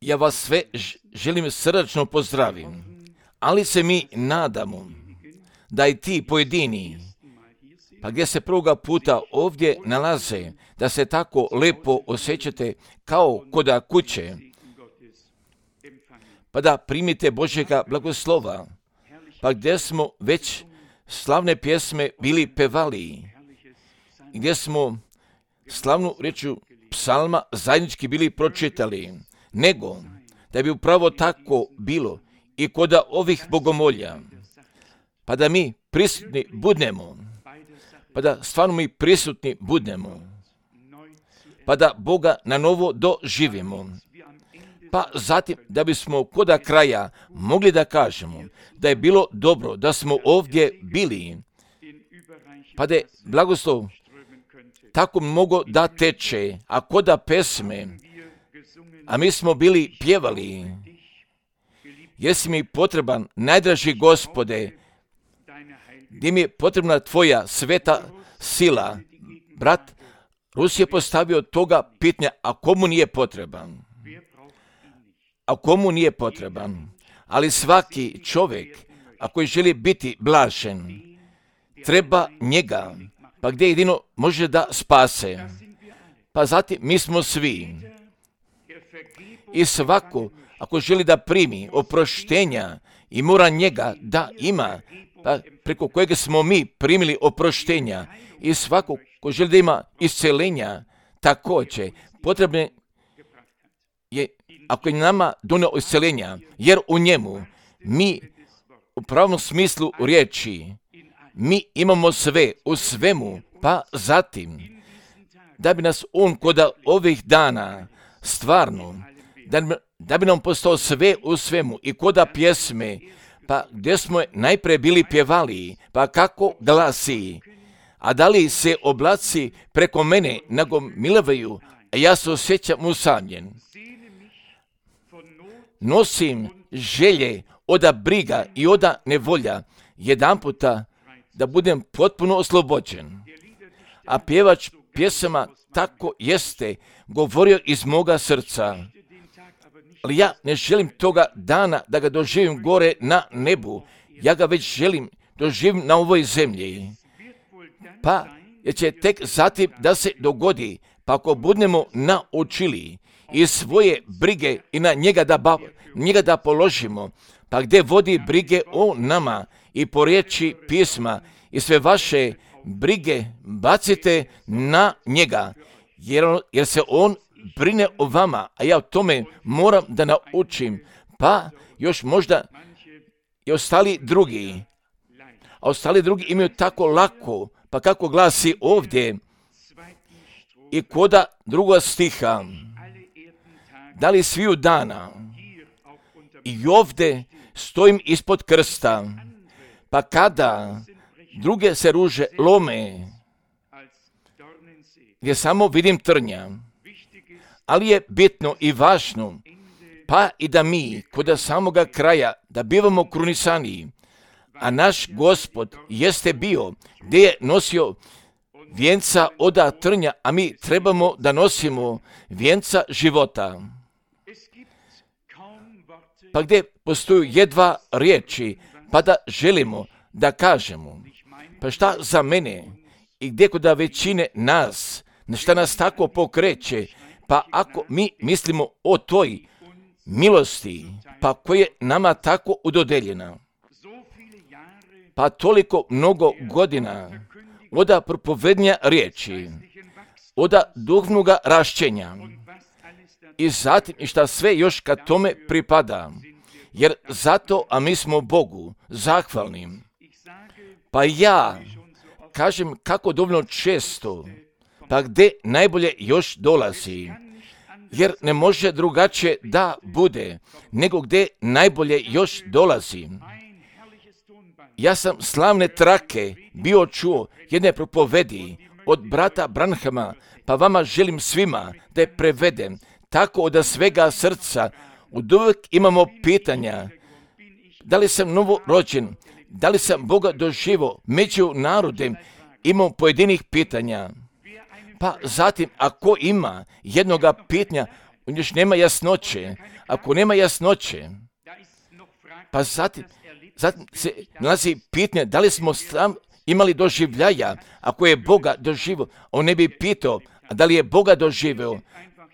Ja vas sve želim srdačno pozdravim, ali se mi nadamo da i ti pojedini, pa gdje se prvoga puta ovdje nalaze, da se tako lepo osjećate kao koda kuće, pa da primite Božjega blagoslova, pa gdje smo već slavne pjesme bili pevali, gdje smo slavnu rečju psalma zajednički bili pročitali, nego da bi upravo tako bilo i kod ovih bogomolja, pa da mi prisutni budemo, pa da stvarno mi prisutni budemo, pa da Boga na novo doživimo, pa zatim da bismo koda kraja mogli da kažemo da je bilo dobro da smo ovdje bili, pa da je blagoslov tako mnogo da teče, a koda pesme, a mi smo bili pjevali, jesi mi potreban, najdraži Gospode, gdje mi je potrebna tvoja sveta sila. Brat Rus je postavio toga pitanja, a komu nije potreban? A komu nije potreban? Ali svaki čovjek, ako želi biti blažen, treba njega, pa gdje jedino može da spase. Pa zatim mi smo svi. I svako, ako želi da primi oproštenja i mora njega da ima, pa preko kojeg smo mi primili oproštenja, i svako ko želi da ima iscelenja, također potrebno je, ako je nama donio iscelenja, jer u njemu mi u pravom smislu riječi, mi imamo sve u svemu, pa zatim da bi nas on kod ovih dana stvarno, da bi nam postao sve u svemu i koda pjesme, pa gdje smo najprije bili pjevali, pa kako glasi, a da li se oblaci preko mene nagomilavaju, a ja se osjećam usamljen. Nosim želje oda briga i oda nevolja, jedanputa da budem potpuno oslobođen. A pjevač pjesama tako jeste govorio iz moga srca. Ali ja ne želim toga dana da ga doživim gore na nebu. Ja ga već želim doživim na ovoj zemlji. Pa jer će tek zatim da se dogodi, pa ako budemo naučili i svoje brige i na njega da položimo, pa gdje vodi brige o nama i po riječi pisma i sve vaše brige bacite na njega, jer se on brine o vama, a ja o tome moram da naučim, pa još možda i ostali drugi, a ostali drugi imaju tako lako, pa kako glasi ovdje i koda druga stiha, da li sviju dana i ovdje stojim ispod krsta, pa kada druge se ruže lome, gdje samo vidim trnja, ali je bitno i važno, pa i da mi kod samoga kraja da bivamo krunisani, a naš Gospod jeste bio gdje je nosio vijenca oda trnja, a mi trebamo da nosimo vijenca života. Pa gdje postoju jedva riječi, pa da želimo da kažemo, pa šta za mene i gdje kod većine nas, šta nas tako pokreće, pa ako mi mislimo o toj milosti, pa koja je nama tako udodeljena, pa toliko mnogo godina oda propovednja riječi, oda duhovnoga rašćenja i zatim i šta sve još kad tome pripada, jer zato, a mi smo Bogu zahvalni. Pa ja kažem kako dovoljno često, pa gdje najbolje još dolazi, jer ne može drugačije da bude, nego gdje najbolje još dolazi. Ja sam slavne trake bio čuo jedne propovedi od brata Branhama, pa vama želim svima da je prevedem, tako od svega srca. Od uvijek imamo pitanja, da li sam novorođen, da li sam Boga doživo među narodem, imamo pojedinih pitanja. Pa zatim, ako ima jednoga pitanja, još nema jasnoće. Ako nema jasnoće, pa zatim se nalazi pitanje da li smo imali doživljaja. Ako je Boga doživio, on ne bi pitao, a da li je Boga doživio.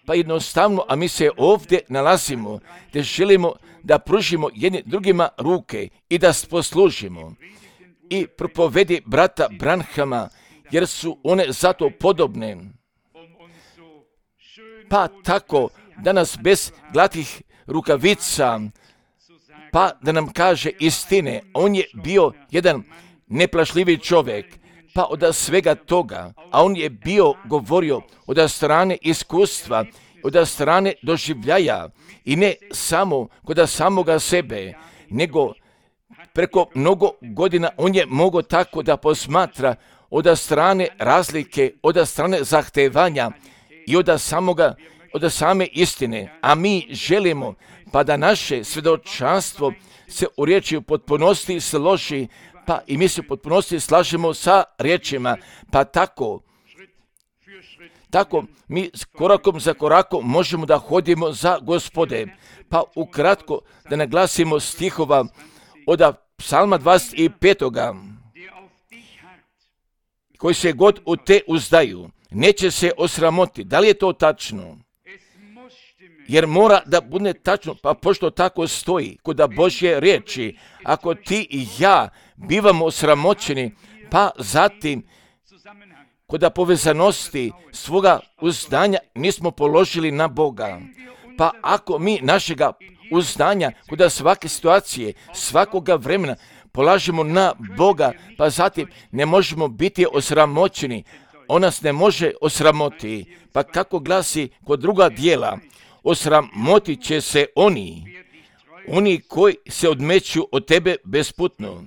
Pa jednostavno, a mi se ovdje nalazimo, gdje želimo da pružimo jedni drugima ruke i da poslužimo. I propovedi brata Branhama, jer su one zato podobne. Pa tako, danas bez glatih rukavica, pa da nam kaže istine, on je bio jedan neplašljivi čovjek, pa od svega toga, a on je bio govorio od strane iskustva, od strane doživljaja i ne samo kod samoga sebe, nego preko mnogo godina on je mogao tako da posmatra od strane razlike, od strane zahtevanja i od same istine. A mi želimo pa da naše svjedočanstvo se u riječi u potpunosti složi, pa i mi se u potpunosti slažemo sa riječima, pa tako mi korakom za korakom možemo da hodimo za Gospode. Pa ukratko da naglasimo stihova od Psalma 25. koji se god u te uzdaju, neće se osramoti. Da li je to tačno? Jer mora da bude tačno, pa pošto tako stoji kod Božje riječi, ako ti i ja bivamo osramoćeni, pa zatim kod povezanosti svoga uzdanja nismo položili na Boga. Pa ako mi našega uzdanja kod svake situacije, svakoga vremena polažemo na Boga, pa zatim ne možemo biti osramoćeni. On nas ne može osramoti. Pa kako glasi kod druga dijela, osramotit će se oni koji se odmeću od tebe besputno.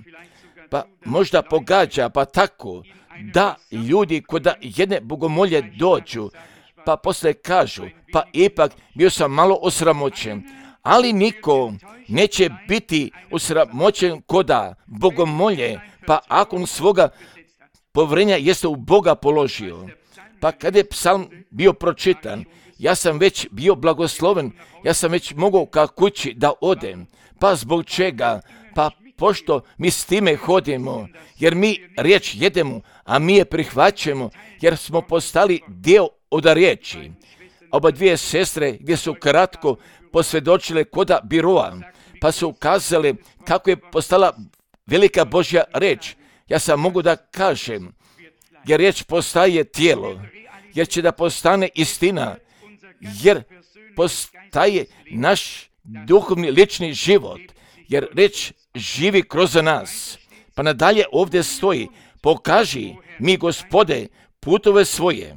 Pa možda pogađa, pa tako da ljudi kod jedne bogomolje dođu, pa poslije kažu, pa ipak bio sam malo osramoćen, ali niko neće biti osramoćen kod bogomolje, pa ako on svoga povjerenja jeste u Boga položio. Pa kada je psalm bio pročitan, ja sam već bio blagosloven, ja sam već mogao ka kući da odem. Pa zbog čega? Pa pošto mi s time hodimo, jer mi riječ jedemo, a mi je prihvaćamo, jer smo postali dio od riječi. Oba dvije sestre gdje su kratko posvjedočile koda biroa, pa su ukazale kako je postala velika Božja riječ. Ja sam mogu da kažem, jer riječ postaje tijelo, jer će da postane istina, jer postaje naš duhovni lični život, jer riječ živi kroz nas. Pa nadalje ovdje stoji, pokaži mi, Gospode, putove svoje.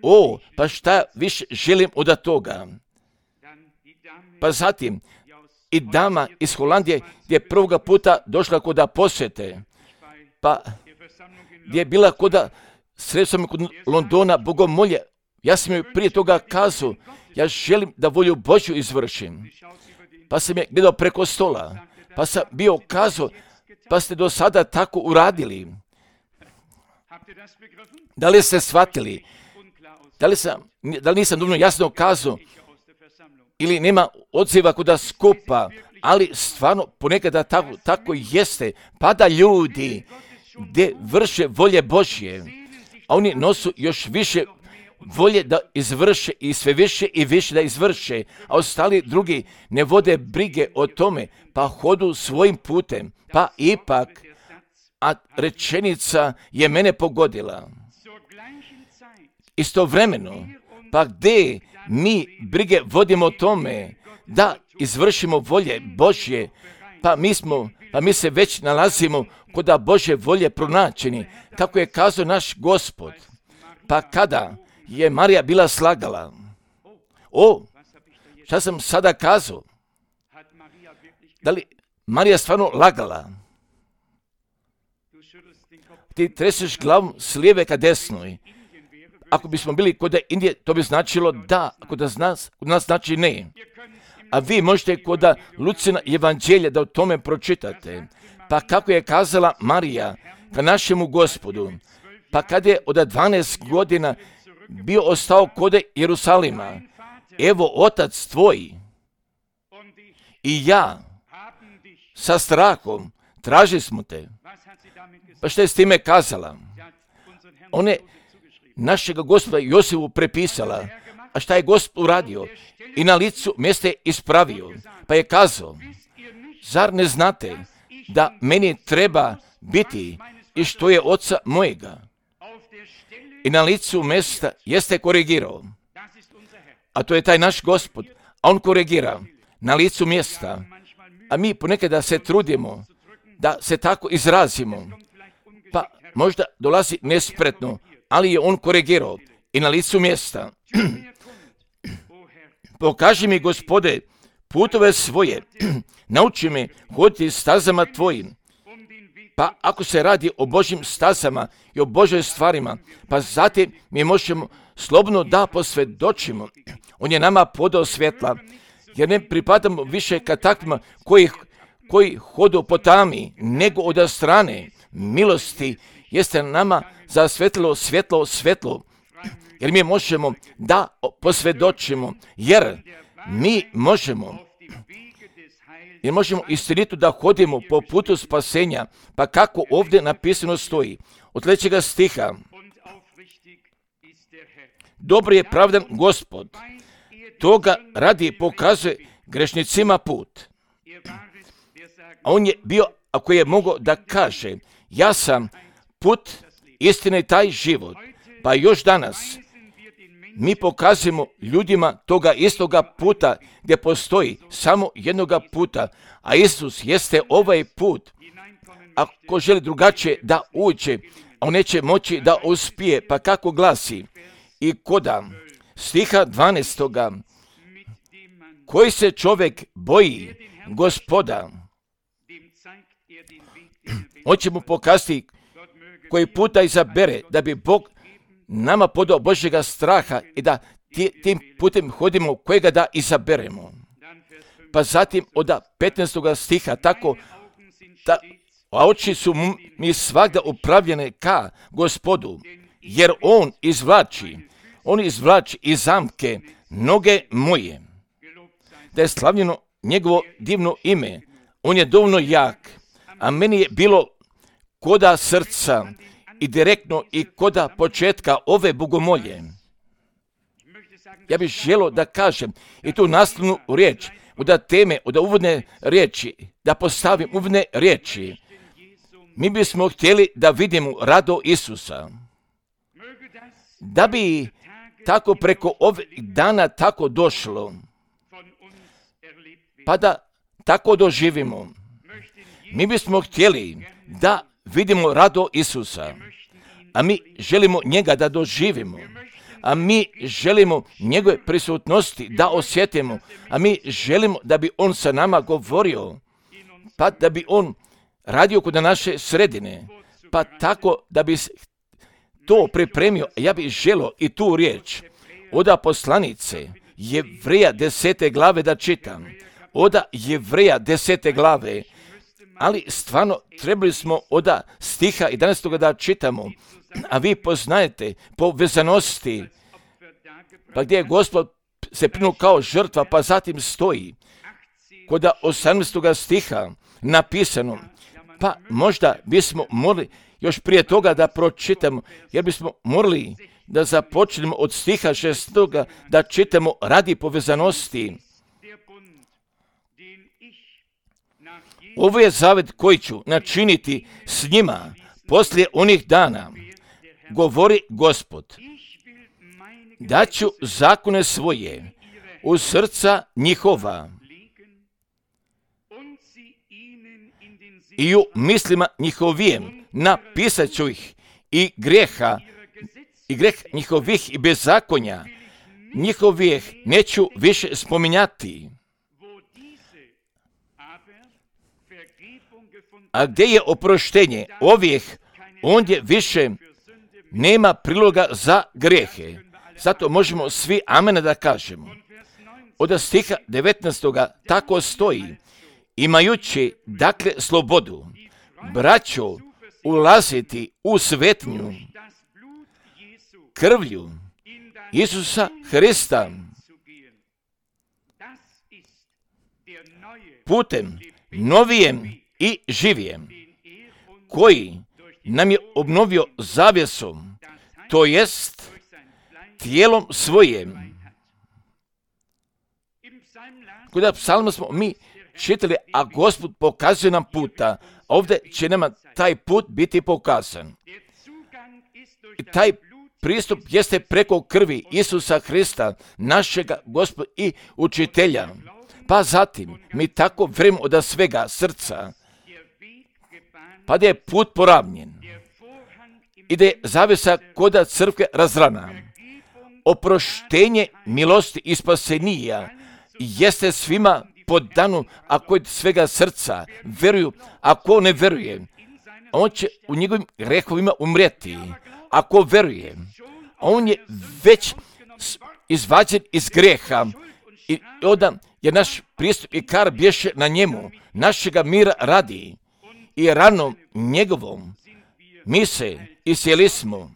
O, pa šta više želim od toga? Pa zatim, i dama iz Holandije gdje prvoga puta došla kod posjete, pa gdje je bila sredstvom kod Londona bogomolje, ja sam joj prije toga kazao, ja želim da volju Božju izvršim. Pa sam je gledao preko stola, pa sam bio kazao, pa ste do sada tako uradili. Da li ste shvatili? Da li nisam dovoljno jasno kazao? Ili nema odziva kod skupa, ali stvarno ponekada tako jeste. Pa da ljudi gdje vrše volje Božje, a oni nosu još više volje da izvrše i sve više i više da izvrše, a ostali drugi ne vode brige o tome, pa hodu svojim putem, pa ipak, a rečenica je mene pogodila. Istovremeno, pa gdje mi brige vodimo o tome da izvršimo volje Božje, pa mi se već nalazimo kod Božje volje pronačeni, kako je kazao naš Gospod. Pa kada je Marija bila slagala, šta sam sada kazao? Da li Marija stvarno lagala? Ti treseš glavom s lijeve ka desnoj. Ako bismo bili kod Indije, to bi značilo da, kod nas znači ne. A vi možete kod Lucina evanđelja da o tome pročitate. Pa kako je kazala Marija ka našemu Gospodu, pa kad je od 12 godina bio ostao kod Jerusalima. Evo, otac tvoj i ja sa strahom tražili smo te. Pa što je s time kazala? Ona je našega Gospoda Josifu prepisala. A šta je Gospod uradio? I na licu mjesta je ispravio. Pa je kazao, zar ne znate da meni treba biti i što je oca mojega? I na licu mjesta jeste korigirao. A to je taj naš Gospod. A on korigira na licu mjesta. A mi ponekada se trudimo da se tako izrazimo. Pa možda dolazi nespretno, ali je on korigirao i na licu mjesta. Pokaži mi, Gospode, putove svoje, nauči me hoditi stazama tvojim. Pa ako se radi o Božjim stazama i o Božjim stvarima, pa zatim mi možemo slobodno da posvjedočimo. On je nama podao svjetla, jer ne pripadamo više ka takvima koji hodu po tami, nego od strane milosti jeste nama zasvetilo svjetlo, jer mi možemo da posvjedočimo, jer mi možemo istinito da hodimo po putu spasenja, pa kako ovdje napisano stoji, od 3. stiha, dobro je pravdan Gospod, toga radi pokazuje grešnicima put. A on je bio, ako je mogao da kaže, ja sam put, istina i taj život. Pa još danas mi pokazujemo ljudima toga istoga puta gdje postoji samo jednoga puta, a Isus jeste ovaj put. Ako želi drugačije da uđe, on neće moći da uspije, pa kako glasi? I koda stiha 12. Koji se čovjek boji Gospoda, on će mu pokazati koji puta izabere da bi Bog nama podao Božjega straha i da tim putem hodimo kojega da izaberemo. Pa zatim od 15. stiha tako, a oči su mi svagda upravljene ka Gospodu, jer on izvlači iz zamke noge moje. Da je slavljeno njegovo divno ime, on je dovoljno jak, a meni je bilo koda srca i direktno i koda početka ove bogomolje. Ja bih želio da kažem i tu nastavnu riječ, od teme, od uvodne riječi, da postavim uvodne riječi. Mi bismo htjeli da vidimo rado Isusa. Da bi tako preko ovih dana tako došlo, pa da tako doživimo. Mi bismo htjeli da vidimo rado Isusa, a mi želimo njega da doživimo, a mi želimo njegove prisutnosti da osjetimo, a mi želimo da bi on sa nama govorio, pa da bi on radio kod naše sredine, pa tako da bi to pripremio. Ja bih želio i tu riječ od poslanice Jevreja 10. glave da čitam. Od Jevreja 10. glave, ali stvarno trebali smo od stiha 11. da čitamo, a vi poznajete po vezanosti, pa gdje je Gospod se prinuo kao žrtva, pa zatim stoji kod 18. stiha napisano, pa možda bismo morali još prije toga da pročitamo, jer bismo morali da započnemo od stiha 6. da čitamo radi povezanosti. Ovo je zavet koji ću načiniti s njima poslije onih dana, govori Gospod. Daću zakone svoje u srca njihova i u mislima njihovijem napisat ću ih i greh njihovih i bezakonja njihovih neću više spominjati. A gdje je oproštenje ovih, ondje više nema priloga za grehe. Zato možemo svi amen da kažemo. Od stiha 19. tako stoji, imajući dakle slobodu, braćo, ulaziti u svetnju krvlju Isusa Hrista, putem novijem i živijem, koji nam je obnovio zavjesom, to jest tijelom svojim. Kod psalma smo mi čitali, a Gospod pokazuje nam puta. Ovdje će nama taj put biti pokazan. I taj pristup jeste preko krvi Isusa Hrista, našega Gospoda i učitelja. Pa zatim mi tako vjerujemo od svega srca, pa da je put poravnjen i da je zavjesa koda crkve razrana. Oproštenje milosti i spasenija jeste svima podano, ako od svega srca vjeruju, ako ne vjeruje, on će u njegovim grehovima umrijeti. Ako vjeruje, on je već izvađen iz greha i onda je naš pristup i kar bješe na njemu, našega mira radi i ranom njegovom mi se isjeli smo.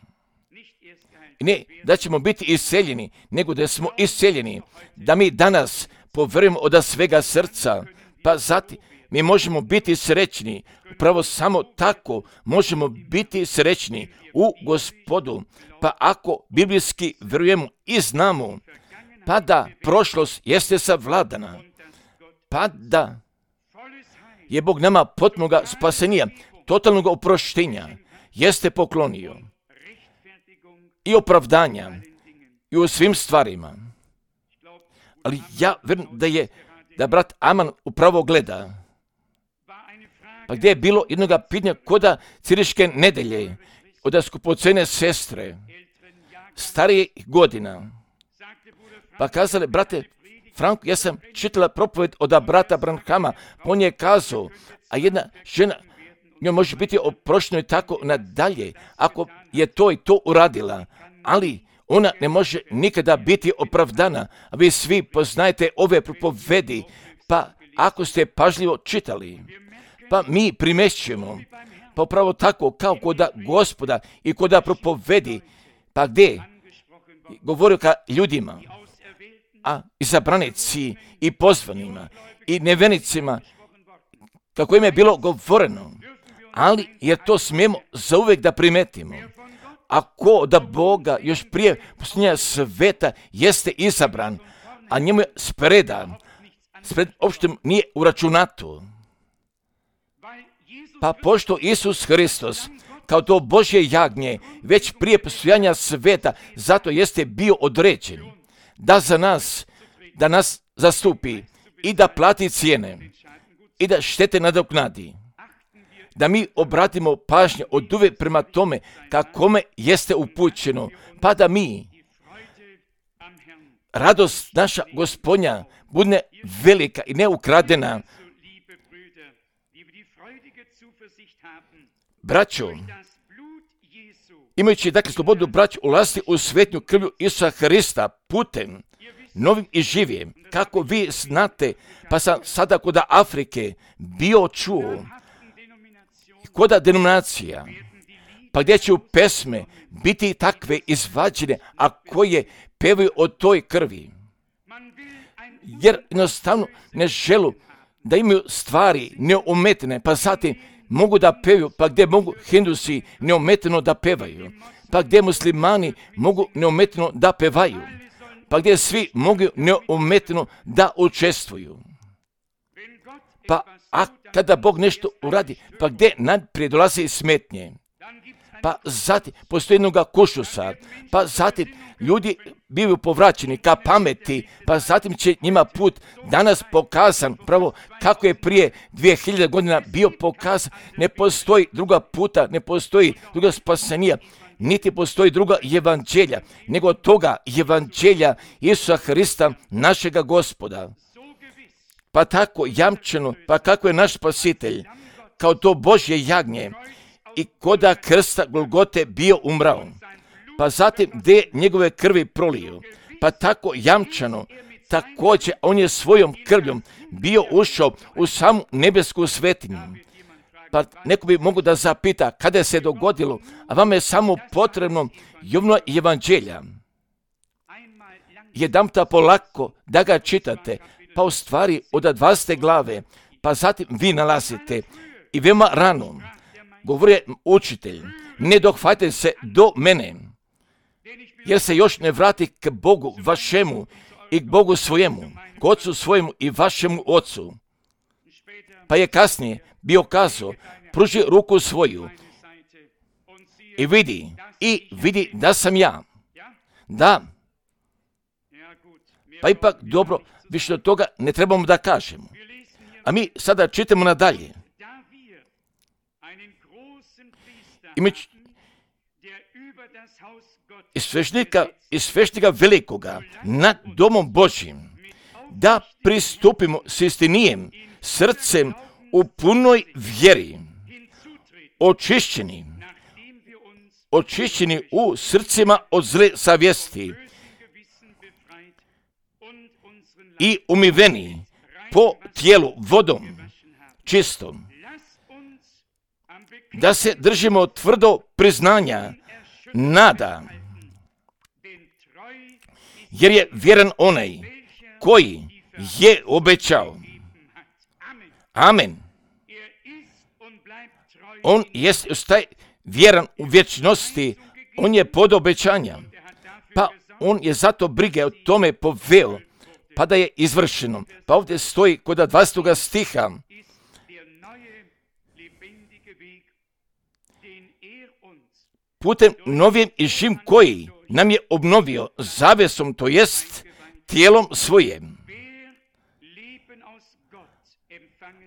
Ne da ćemo biti iseljeni, nego da smo iseljeni, da mi danas povjerujemo od svega srca, pa zatim mi možemo biti srećni. Upravo samo tako možemo biti srećni u Gospodu. Pa ako biblijski vjerujemo i znamo, pa da prošlost jeste savladana, pa da je Bog nama potpunoga spasenija, totalnog oproštenja, jeste poklonio i opravdanja i u svim stvarima. Ali ja vjerujem da brat Aman upravo gleda. Pa gdje je bilo jednoga pitanja koda Ciriške nedelje od skupocene sestre, starije godina. Pa kazali, brate Franko, ja sam čitala propoved od brata Branhama, on je kazao, a jedna žena, njoj može biti oprošteno i tako nadalje, ako je to i to uradila, ali ona ne može nikada biti opravdana. A vi svi poznajete ove propovedi, pa ako ste pažljivo čitali, pa mi primjećujemo, pa upravo tako kao koda Gospoda i koda propovedi, pa gdje govorio ka ljudima, a izabranici i pozvanima i nevenicima, kako im je bilo govoreno, ali jer to smijemo zauvijek da primetimo. Ako da Boga još prije posljednja sveta jeste izabran, a njemu je spredan, uopšte nije uračunato. Pa pošto Isus Hristos, kao to Božje jagnje, već prije postojanja sveta, zato jeste bio određen, da nas zastupi i da plati cijene i da štete nadoknadi. Da mi obratimo pažnju od uvijek prema tome kakome jeste upućeno, pa da mi, radost naša Gospodnja, bude velika i neukradena. Braćo, imajući dakle slobodu braću ulaziti u svetnju krvlju Isusa Hrista putem novim i živim, kako vi znate, pa sam sada kod Afrike bio čuo, koda denominacija, pa gdje će u pesme biti takve izvađene, a koje pevaju o toj krvi. Jer jednostavno ne želu da imaju stvari neometene, pa zatim mogu da pevaju, pa gdje mogu Hindusi neometeno da pevaju, pa gdje muslimani mogu neometeno da pevaju, pa gdje svi mogu neometeno da učestvuju. Pa a kada Bog nešto uradi, pa gdje najprije dolazi smetnje, pa zatim postoji jednoga kušusa, pa zatim ljudi bivaju povraćeni ka pameti, pa zatim će njima put danas pokazan, pravo kako je prije 2000 godina bio pokazan. Ne postoji druga puta, ne postoji druga spasenija, niti postoji druga evanđelja, nego toga evanđelja Isusa Hrista, našega Gospoda. Pa tako jamčeno, pa kako je naš spasitelj, kao to Božje jagnje, i koda krsta Golgote bio umrao, pa zatim gdje njegove krvi prolio, pa tako jamčano, također on je svojom krvljom bio ušao u samu nebesku svetinju. Pa neko bi mogu da zapita kada se dogodilo, a vama je samo potrebno Jovno evanđelja. jedanputa polako da ga čitate, pa u stvari od 20. glave, pa zatim vi nalazite i veoma rano, govori učitelj, ne dohvatite se do mene, jer se još ne vrati k Bogu vašemu i k Bogu svojemu, k Ocu svojemu i vašemu Ocu. Pa je kasnije bio kazao, pruži ruku svoju i vidi da sam ja. Da. Pa ipak dobro, više od toga ne trebamo da kažemo. A mi sada čitamo nadalje. I svešnika velikoga nad domom Božjim, da pristupimo s istinijem srcem u punoj vjeri, očišćeni u srcima od zle savjesti i umiveni po tijelu vodom čistom, da se držimo tvrdo priznanja nada, jer je vjeran onaj koji je obećao. Amen. On jest vjeran u vječnosti, on je pod obećanja, pa on je zato brige o tome poveo, pa da je izvršeno. Pa ovdje stoji kod 20. stiha, putem novim i živim koji nam je obnovio zavesom, to jest tijelom svojim.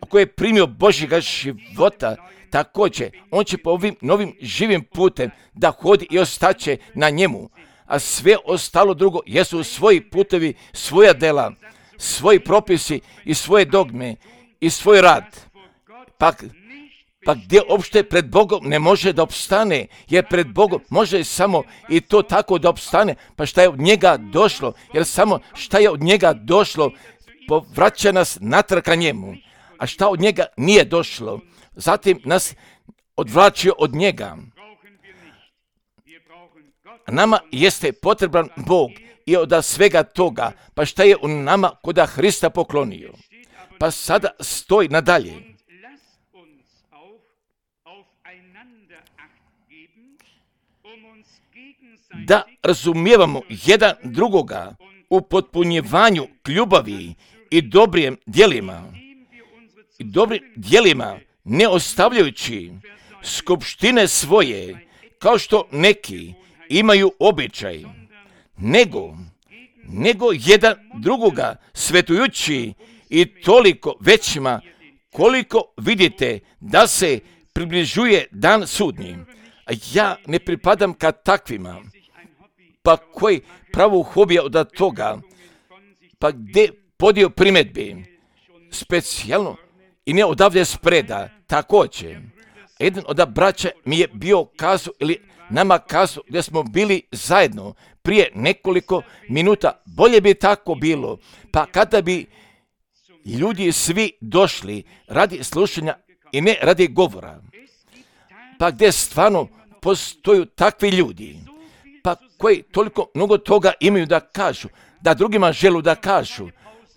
Ako je primio Božjega života, također on će po ovim novim živim putem da hodi i ostaće na njemu, a sve ostalo drugo jesu svoji putevi, svoja dela, svoji propisi i svoje dogme i svoj rad. Pa gdje uopšte pred Bogom ne može da opstane, jer pred Bogom može samo i to tako da opstane, pa šta je od njega došlo, jer samo šta je od njega došlo povraća nas natrag ka njemu, a šta od njega nije došlo, zatim nas odvraćio od njega. Nama jeste potreban Bog i od svega toga, pa šta je u nama koda Hrista poklonio. Pa sada stoji nadalje. Da razumijevamo jedan drugoga u potpunjevanju k ljubavi i dobrim djelima, ne ostavljajući skupštine svoje, kao što neki imaju običaj, nego jedan drugoga svetujući i toliko većima, koliko vidite da se približuje dan sudnji. A ja ne pripadam ka takvima, pa koji pravu hobija od toga, pa gdje podio primjedbi, specijalno i ne odavde spreda, također. Jedan od braća mi je bio kazao ili nama kazao gdje smo bili zajedno prije nekoliko minuta, bolje bi tako bilo, pa kada bi ljudi svi došli radi slušanja i ne radi govora, pa gdje stvarno postoju takvi ljudi, pa koji toliko mnogo toga imaju da kažu, da drugima želu da kažu,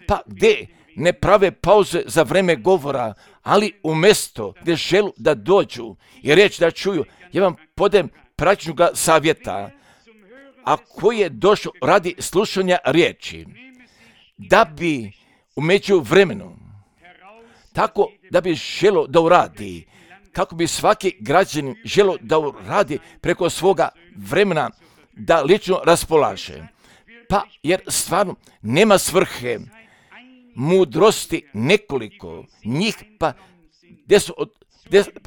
pa gdje ne prave pauze za vreme govora, ali umjesto gdje želu da dođu i reći da čuju, ja vam podem praktičnoga savjeta, a koji je došao radi slušanja riječi, da bi u međuvremenu, tako da bi želo da uradi, kako bi svaki građanin želo da uradi preko svoga vremena, da lično raspolaže. Pa jer stvarno nema svrhe, mudrosti nekoliko njih, pa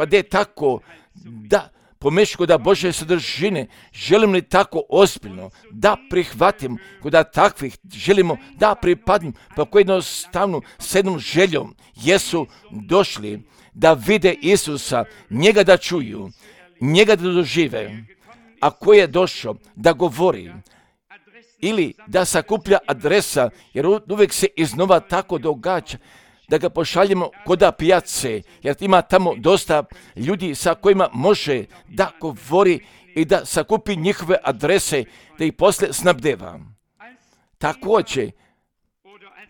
gdje je tako da pomeško da Božje sadržine želim li tako ozbiljno da prihvatim, da takvih želimo da pripadnim, pa koji jednostavno s jednom željom jesu došli da vide Isusa, njega da čuju, njega da dožive, a koji je došao da govori ili da sakuplja adresa, jer uvijek se iznova tako događa, da ga pošaljemo kod pijace, jer ima tamo dosta ljudi sa kojima može da govori i da sakupi njihove adrese, da ih poslije snabdeva. također,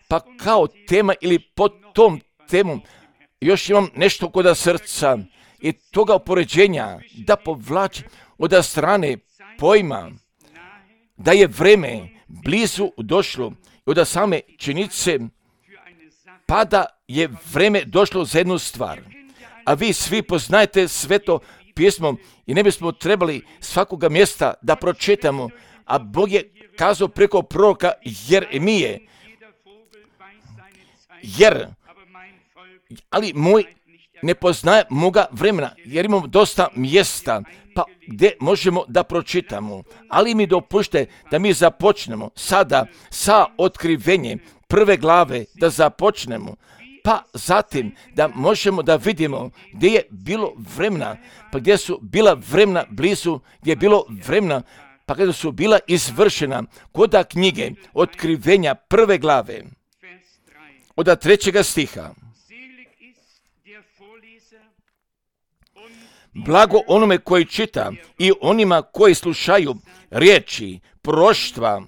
pa kao tema ili pod tom temom, još imam nešto kod srca i toga upoređenja da povlači od strane pojma da je vreme blizu došlo i od same činjenice pa da je vreme došlo za jednu stvar. A vi svi poznajete Sveto pismo i ne bismo trebali svakoga mjesta da pročitamo, a Bog je kazao preko proroka Jeremije, ali moj ne poznaje moga vremena, jer imamo dosta mjesta pa gdje možemo da pročitamo, ali mi dopušte da mi započnemo sada sa otkrivenjem prve glave, da započnemo, pa zatim da možemo da vidimo gdje je bilo vremena, pa gdje su bila vremena blizu, gdje je bilo vremena, pa kada su bila izvršena koda knjige otkrivenja prve glave, od 3. stiha. Blago onome koji čita i onima koji slušaju riječi proroštva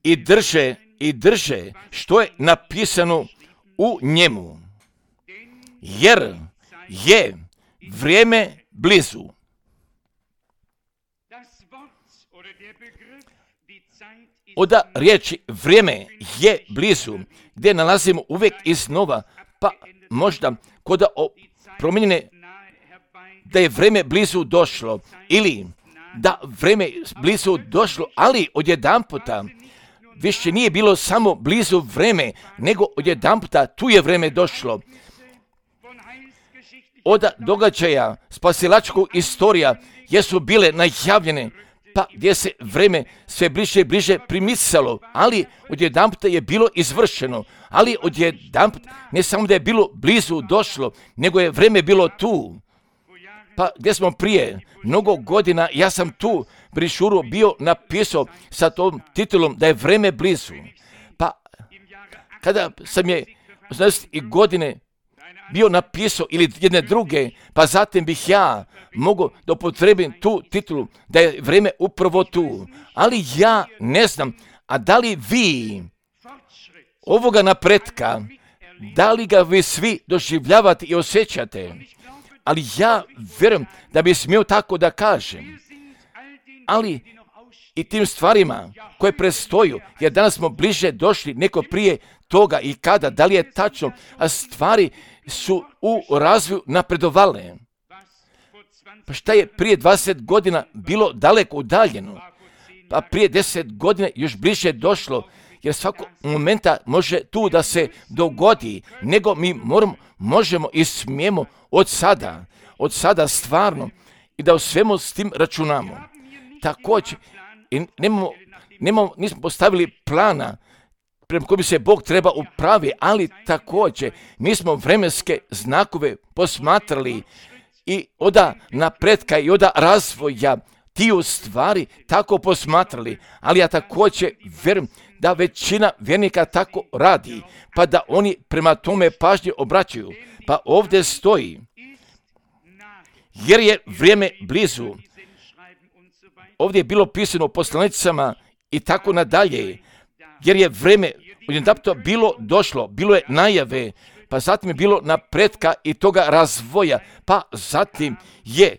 i drže što je napisano u njemu, jer je vrijeme blizu. Od riječi vrijeme je blizu, gdje nalazimo uvijek iznova, pa možda kod promijenjene da je vrijeme blizu došlo, ili da vrijeme blizu došlo, ali odjedanputa više nije bilo samo blizu vrijeme, nego odjedanputa tu je vrijeme došlo. Od događaja spasilačkog istorija jesu bile najavljene, pa gdje se vrijeme sve bliže i bliže primicalo, ali odjedanputa je bilo izvršeno, ali odjedanputa ne samo da je bilo blizu došlo, nego je vrijeme bilo tu. Pa gdje smo prije mnogo godina, ja sam tu brišuru bio napisao sa tom titulom da je vrijeme blizu. Pa kada sam je 80. godine bio napisao ili jedne druge, pa zatim bih ja mogao da upotrebim tu titulu da je vrijeme upravo tu. Ali ja ne znam, a da li vi ovoga napretka, da li ga vi svi doživljavate i osjećate? Ali ja vjerujem da bi smio tako da kažem. Ali i tim stvarima koje prestoju, jer danas smo bliže došli neko prije toga i kada, da li je tačno, a stvari su u razvoju napredovale. Pa šta je prije 20 godina bilo daleko udaljeno, pa prije 10 godina još bliže došlo, jer svakog momenta može tu da se dogodi, nego mi možemo i smijemo od sada stvarno i da u svemu s tim računamo. Također, nismo postavili plana prema kojem se Bog treba upravi, ali također mi smo vremenske znakove posmatrali i od napretka i od razvoja tiju stvari tako posmatrali, ali ja također vjerujem da većina vjernika tako radi, pa da oni prema tome pažnje obraćaju. Pa ovdje stoji, jer je vrijeme blizu. Ovdje je bilo pisano poslanicama i tako nadalje, jer je vrijeme odjedanputa bilo došlo, bilo je najave, pa zatim je bilo napretka i toga razvoja, pa zatim je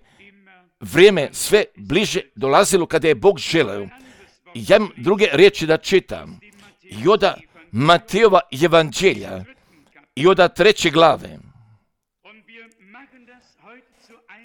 vrijeme sve bliže dolazilo kada je Bog želeo. Ja imam druge riječi da čitam. I od Matejova evanđelja i od 3. glave.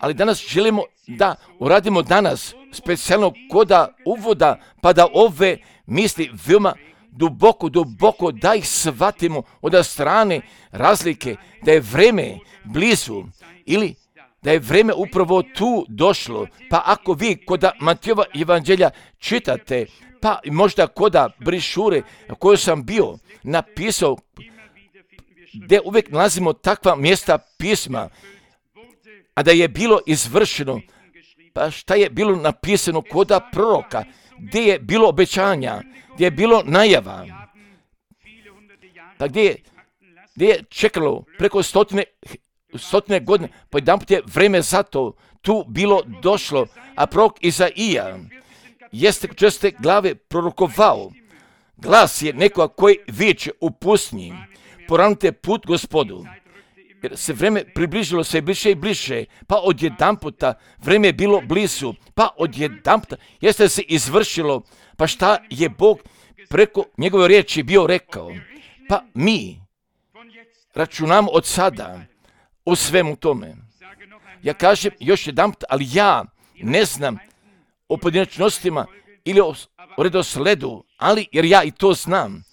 Ali danas želimo da uradimo danas specijalno koda uvoda, pa da ove misli veoma duboko da ih shvatimo od strane razlike, da je vrijeme blizu ili da je vrijeme upravo tu došlo. Pa ako vi koda Matejova evanđelja čitate, pa možda koda brišure koju sam bio napisao, gdje uvijek nalazimo takva mjesta pisma, a da je bilo izvršeno, pa šta je bilo napisano koda proroka, gdje je bilo obećanja, gdje je bilo najava, pa gdje je čekalo preko stotine godine, pa jedanput je vrijeme za to tu bilo došlo, a prorok Izaija jeste 4. glave prorokovao Glas je nekoga koji viče u pustinji, poravnajte put Gospodu. Jer se vreme približilo sve bliže i bliže, pa odjedanputa vreme je bilo blizu, pa odjedanputa jeste se izvršilo, pa šta je Bog preko njegove riječi bio rekao. Pa mi računamo od sada u svemu tome. Ja kažem još jedanput, ali ja ne znam o pojedinačnostima ili o redosledu, ali jer ja i to znam.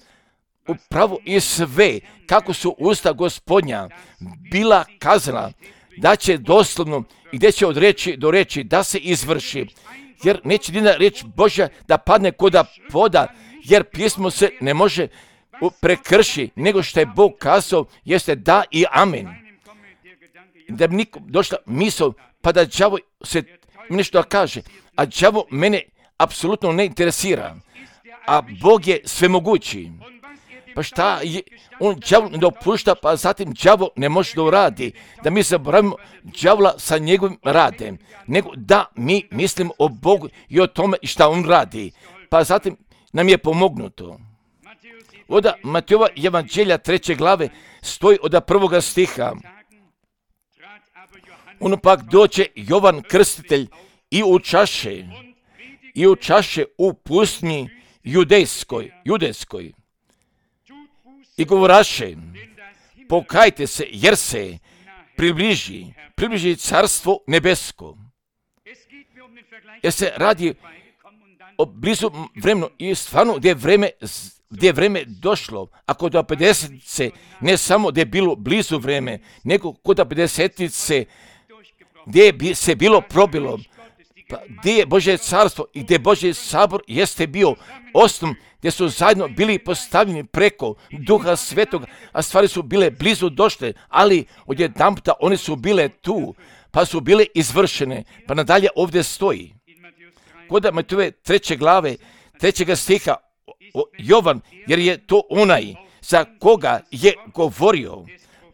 Upravo i sve, kako su usta Gospodnja bila kazana, da će doslovno i gdje će od reči do reči da se izvrši. Jer neće jedna riječ Božja da padne koda voda, jer pismo se ne može prekrši, nego što je Bog kazao, jeste da i amen. Da bi nikom došla misao, pa da đavo se nešto kaže, a đavo mene apsolutno ne interesira, a Bog je svemogući. Pa šta je, on đavo ne dopušta, pa zatim đavo ne može da uradi, da mi zaboravimo đavola sa njegovim radem, nego da mi mislimo o Bogu i o tome šta on radi, pa zatim nam je pomognuto. Od Matejova evanđelja 3. glave stoji od 1. stiha. Ono pak dođe Jovan Krstitelj i učaše u pustinji judejskoj i govoraše, pokajte se jer se približi carstvo nebesko. Jer se radi o blizu vremenu i stvarno gdje je vreme došlo, a kod 50-ice ne samo gdje je bilo blizu vreme, nego kod 50-ice gdje je se bilo probilo, pa gdje je Božje carstvo i gdje Božji sabor jeste bio osnov, gdje su zajedno bili postavljeni preko Duha Svetoga, a stvari su bile blizu došle, ali odjedanputa one su bile tu, pa su bile izvršene, pa nadalje ovdje stoji. Kod Matejove 3. glave, 3. stiha, Jovan, jer je to onaj za koga je govorio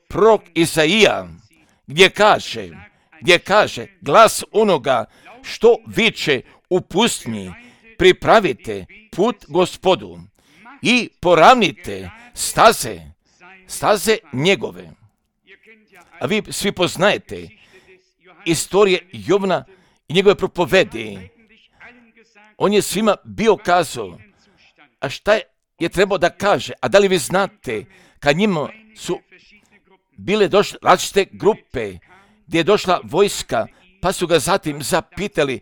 prorok Izaija, gdje kaže glas onoga što viče u pustinji, pripravite put Gospodu i poravnite staze njegove. A vi svi poznajete istorije Jovana i njegove propovedi. On je svima bio kazao, a šta je trebao da kaže? A da li vi znate, kad njima su bile došle različite grupe, gdje je došla vojska, pa su ga zatim zapitali,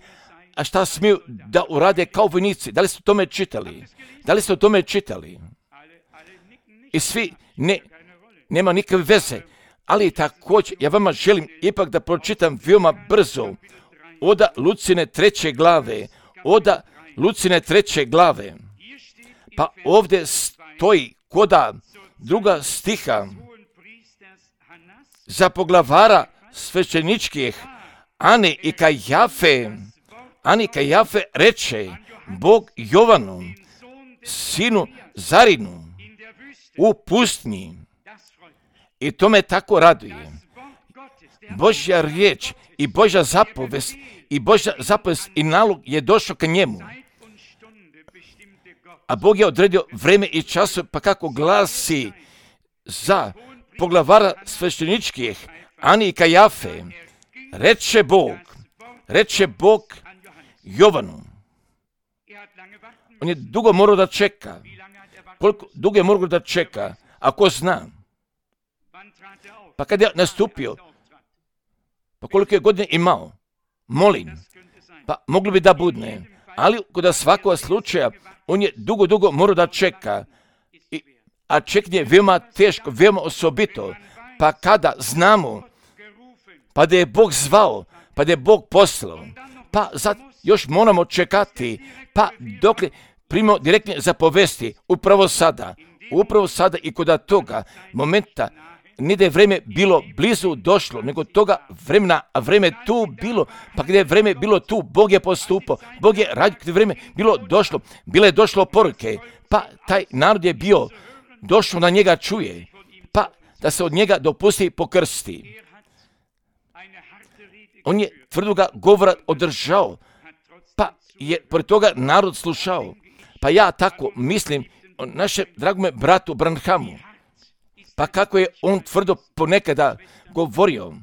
a šta smiju da urade kao vojnici? Da li ste o tome čitali? I svi, nema nikakve veze. Ali također, ja vama želim ipak da pročitam veoma brzo od Lucine 3. glave. Pa ovdje stoji koda 2. stiha za poglavara svećeničkih Ane i Kajafe reče Bog Jovanu, sinu Zarinu, u pustinji. I to me tako raduje. Božja riječ i Božja zapovest i nalog je došao ka njemu. A Bog je odredio vreme i čas, pa kako glasi za poglavara svećeničkih Ani i Kajafe, reče Bog Jovanu. On je dugo morao da čeka. Koliko dugo je morao da čeka? Ako zna. Pa kad je nastupio, pa koliko je godine imao? Molim. Pa moglo bi da budne. Ali kod svakog slučaja, on je dugo morao da čeka. A čekanje je veoma teško, veoma osobito. Pa kada znamo, pa da je Bog zvao, pa da je Bog poslao, pa sad još moramo čekati, pa dok primimo direktne zapovesti, upravo sada i kod toga momenta, ne da je vreme bilo blizu došlo, nego toga vremena, a vreme tu bilo, pa gdje je vreme bilo tu, Bog je postupao, Bog je radio, gdje je vreme bilo došlo, bile je došlo poruke, pa taj narod je bio došlo na njega čuje, pa da se od njega dopusti pokrsti. On je tvrdoga govora održao, pa je pored toga narod slušao. Pa ja tako mislim o našem dragome bratu Branhamu. Pa kako je on tvrdo ponekada govorio,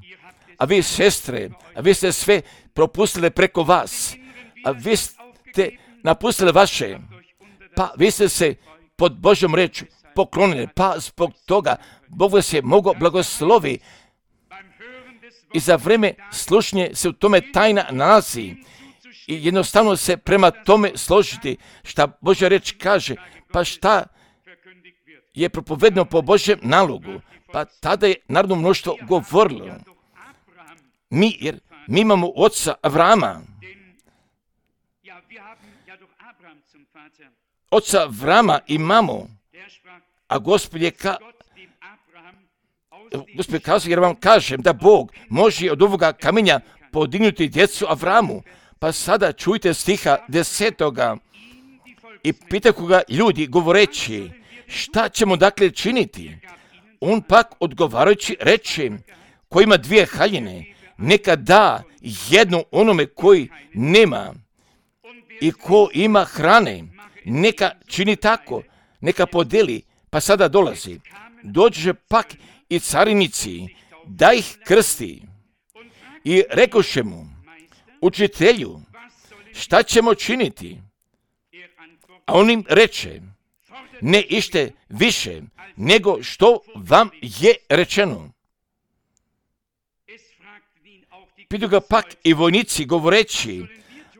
a vi sestre, a vi ste sve propustili preko vas, a vi ste napustili vaše, pa vi ste se pod Božjom rečju poklonili, pa zbog toga Bog vas je mogao blagoslovi i za vrijeme slušnje se u tome tajna nalazi i jednostavno se prema tome složiti šta Božja reč kaže, pa šta je propovedeno po Božjem nalogu, pa tada je narodno mnoštvo govorilo. Jer mi imamo oca Avrama. Oca Avrama imamo, a Gospod kazao, jer vam kažem da Bog može od ovoga kamenja podignuti djecu Avramu. Pa sada čujte stiha 10. I pitaju ga ljudi govoreći, šta ćemo dakle činiti? On pak odgovarajući reče, ko ima 2 haljine, neka da jednu onome koji nema, i ko ima hrane, neka čini tako, neka podeli. Pa sada dolazi, dođe pak i carinici, da ih krsti. I rekoše mu, učitelju, šta ćemo činiti? A on im reče, ne ište više, nego što vam je rečeno. Pitu ga pak i vojnici govoreći,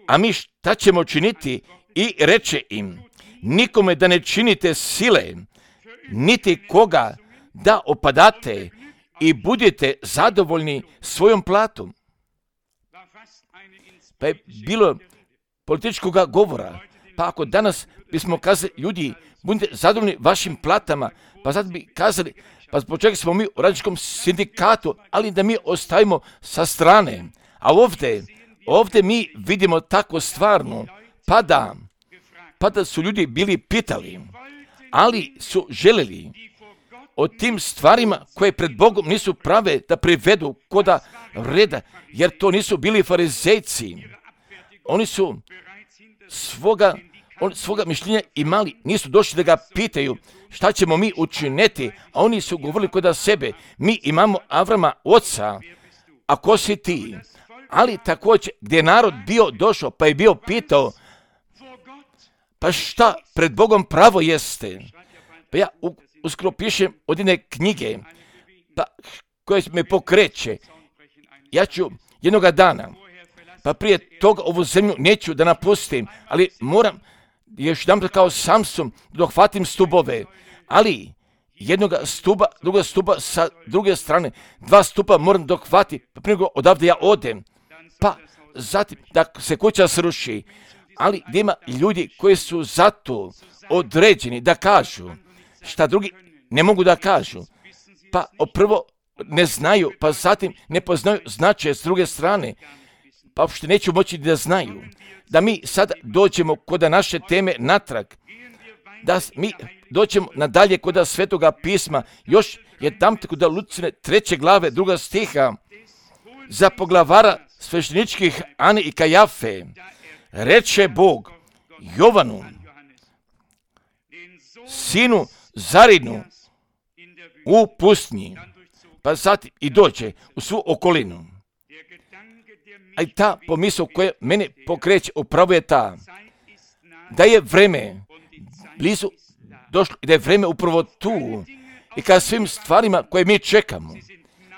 a mi šta ćemo činiti? I reče im, nikome da ne činite sile, niti koga da opadate i budete zadovoljni svojom platom. Pa je bilo političkog govora, pa ako danas bismo kazali, ljudi, budite zadovoljni vašim platama, pa sad bi kazali, pa zbog čega smo mi u radničkom sindikatu, ali da mi ostavimo sa strane. A ovdje mi vidimo tako stvarno, pa da su ljudi bili pitali, ali su željeli o tim stvarima koje pred Bogom nisu prave da privedu koda reda, jer to nisu bili farizejci. Oni su svoga mišljenja imali, nisu došli da ga pitaju šta ćemo mi učiniti, a oni su govorili koda sebe, mi imamo Avrama oca, a ko si ti? Ali također gdje je narod bio došao, pa je bio pitao, pa šta pred Bogom pravo jeste? Pa ja uskoro pišem od jedne knjige, pa koja me pokreće. Ja ću jednoga dana, pa prije toga ovu zemlju neću da napustim, ali moram još jedan kao Samson dohvatim stubove, ali jednoga stuba, druga stuba sa druge strane, 2 stupa moram dohvatiti, pa prije nego odavde ja odem, pa zatim da se kuća sruši, ali gdje ima ljudi koji su zato određeni da kažu šta drugi ne mogu da kažu, pa prvo ne znaju, pa zatim ne poznaju značaje s druge strane, pa uopšte neću moći da znaju. Da mi sad dođemo kod naše teme natrag, da mi dođemo nadalje kod Svetoga pisma, još je tam kod Lucine 3. glave 2. stiha, za poglavara svešteničkih Ane i Kajafe, reče Bog Jovanu, sinu Zarinu, u pustnji, pa sad i dođe u svu okolinu. A i ta pomisao koja mene pokreće upravo je ta, da je vreme blizu došlo i da je vreme upravo tu i kada svim stvarima koje mi čekamo,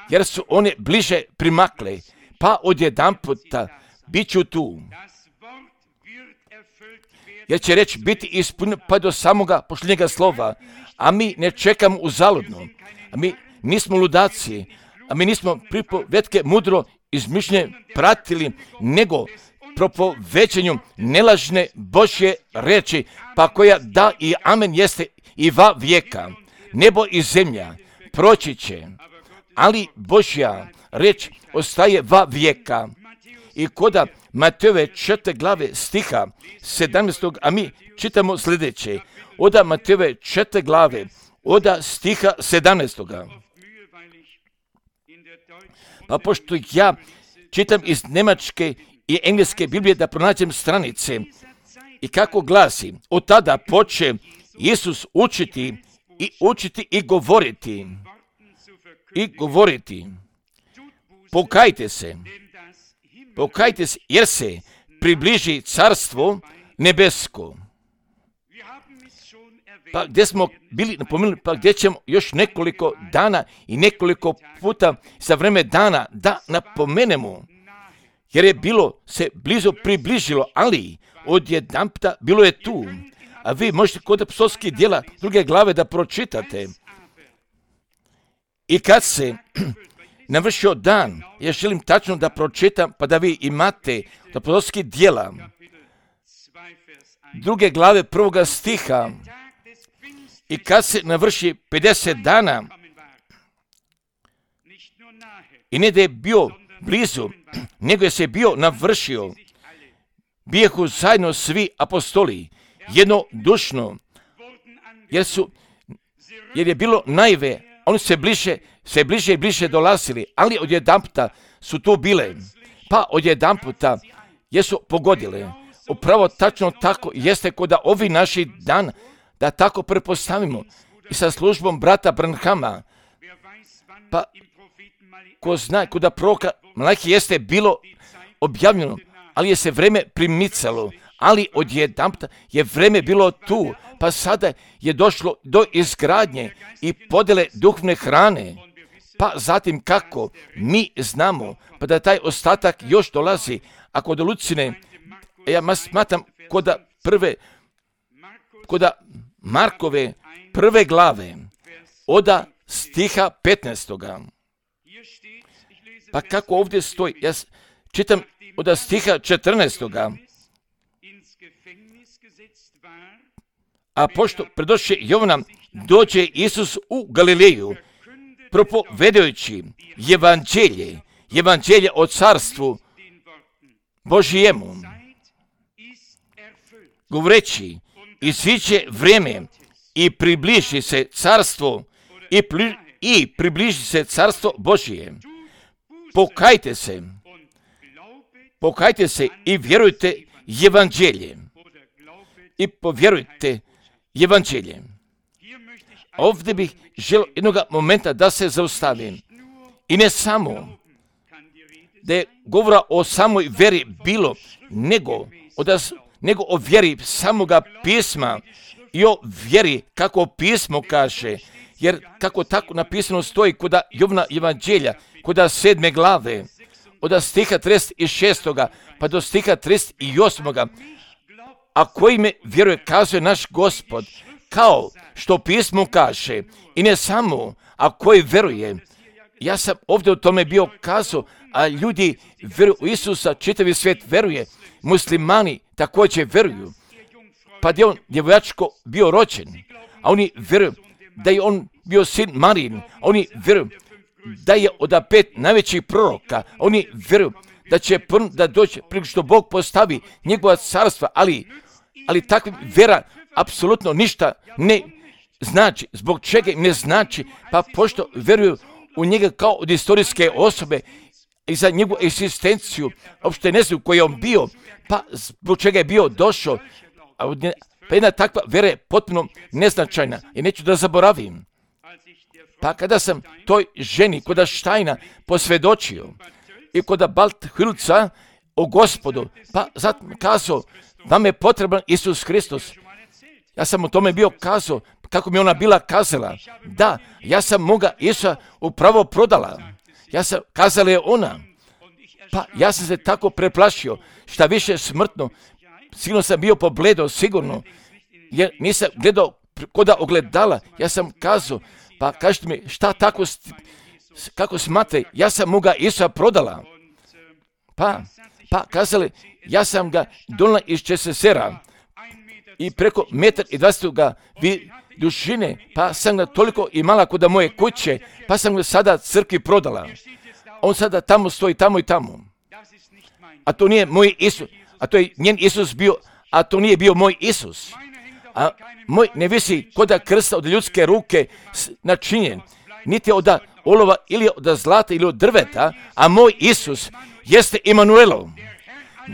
jer su one bliže primakle, pa odjedanputa bit ću tu. Jer će reći biti ispunjeno pa do samoga pošljenjega slova, a mi ne čekamo uzaludno, a mi nismo ludaci, a mi nismo pripovetke mudro izmišljene pratili, nego propovećenju nelažne Božje reči, pa koja da i amen jeste i va vijeka. Nebo i zemlja proći će, ali Božja reč ostaje va vijeka. I koda Matejove 4. glave stiha 17. a mi čitamo sljedeće. Oda Matejove 4. glave, oda stiha 17. Pa pošto ja čitam iz njemačke i engleske Biblije da pronađem stranice i kako glasi, od tada poče Isus učiti i govoriti. Pokajte se, jer se približi carstvo nebesko. Pa gdje smo bili napomenuli, pa gdje ćemo još nekoliko dana i nekoliko puta za vreme dana da napomenemo, jer je bilo se blizu približilo, ali odjedanputa bilo je tu. A vi možete kod apostolskih djela 2. glave da pročitate. I kad se navršio dan, ja želim tačno da pročitam, pa da vi imate apostolskih djela 2. glave 1. stiha. I kad se navrši 50 dana, i ne da je bio blizu, nego je se bio navršio, bijehu zajedno svi apostoli, jednodušno, jer je bilo najve, oni se bliže i bliže dolazili, ali odjedanputa su tu bile, pa odjedanputa jesu pogodile. Upravo tačno tako jeste kod da ovi naši dan, da tako pretpostavimo i sa službom brata Branhama, pa ko zna, kod da proroka Malahije jeste bilo objavljeno, ali je se vreme primicalo, ali odjedanputa je vreme bilo tu, pa sada je došlo do izgradnje i podjele duhovne hrane, pa zatim kako mi znamo, pa da taj ostatak još dolazi, a kod Lucine, ja smatram kod Markove 1. glave, od stiha 15. Pa kako ovdje stoji, ja čitam od stiha 14. A pošto predošće Jovana, dođe Isus u Galileju, propovedajući evanđelje o carstvu Božijemu, govoreći, iziđe vrijeme i približi se carstvo i približi se carstvo Božije. Pokajte se i vjerujte evanđelje. I povjerujte evanđelje. Ovdje bih želio jednog momenta da se zaustavim. I ne samo da je govora o samoj vjeri bilo, nego o vjeri samoga pisma i o vjeri kako pismo kaže. Jer kako tako napisano stoji kod Jovana evanđelja, kod 7. glave, od stiha 36. pa do stiha 38. A koji me vjeruje, kazuje naš Gospod, kao što pismo kaže, i ne samo, a koji vjeruje. Ja sam ovdje o tome bio kazao, a ljudi vjeruju u Isusa, čitavi svijet vjeruje, muslimani također vjeruju, pa je on djevojačko bio rođen, a oni vjeruju da je on bio sin Marijin, oni vjeruju da je od 5 najvećih proroka, oni vjeruju da će da doći prije što Bog postavi njegova carstva, ali takva vjera apsolutno ništa ne znači. Zbog čega ne znači? Pa pošto vjeruju u njega kao od istorijske osobe i za njegovu egzistenciju, uopšte ne znaju koji je on bio, pa zbog čega je bio došao, pa jedna takva vjera je potpuno neznačajna i neću da zaboravim. Pa kada sam toj ženi kod Štajna posvjedočio i kod Balthilca o Gospodu, pa zatim kazao, vam je potreban Isus Hristos. Ja sam o tome bio kazao, kako mi ona bila kazala. Da, ja sam moga Isusa upravo prodala. Kazala je ona. Pa ja sam se tako preplašio, šta više smrtno. Sigurno sam bio pobledo, sigurno. Jer nisam gledao kod ogledala. Ja sam kazao, pa kažete mi, šta tako, kako smate, ja sam moga Isusa prodala. Pa kazali, ja sam ga donala iz Česesera i preko 1,20 m ga dužine, pa sam ga toliko imala kod moje kuće, pa sam ga sada crkvi prodala. On sada tamo stoji, tamo i tamo. A to nije moj Isus, a to je njen Isus bio, a to nije bio moj Isus. A moj ne visi kod krsta od ljudske ruke načinjen, niti od olova ili od zlata ili od drveta, a moj Isus jeste Emanuelo,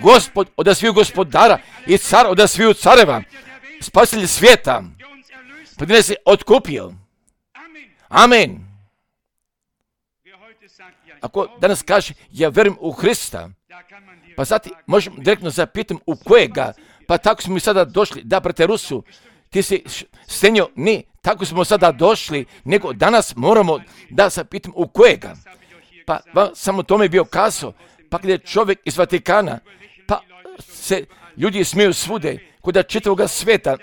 Gospod od sviju gospodara i car od sviju careva, spasitelj svijeta, pa gdje nas je otkupio. Amen. Ako danas kaže, ja verujem u Hrista, pa zatim možemo direktno zapitati u kojega, pa tako smo mi sada došli, da, brate Rusu, ti si stenio, ne, tako smo sada došli, nego danas moramo da zapitam u kojega. Pa samo tome je bio kazao, pa gdje je čovjek iz Vatikana, pa se ljudi smiju svude, kod čitavoga sveta,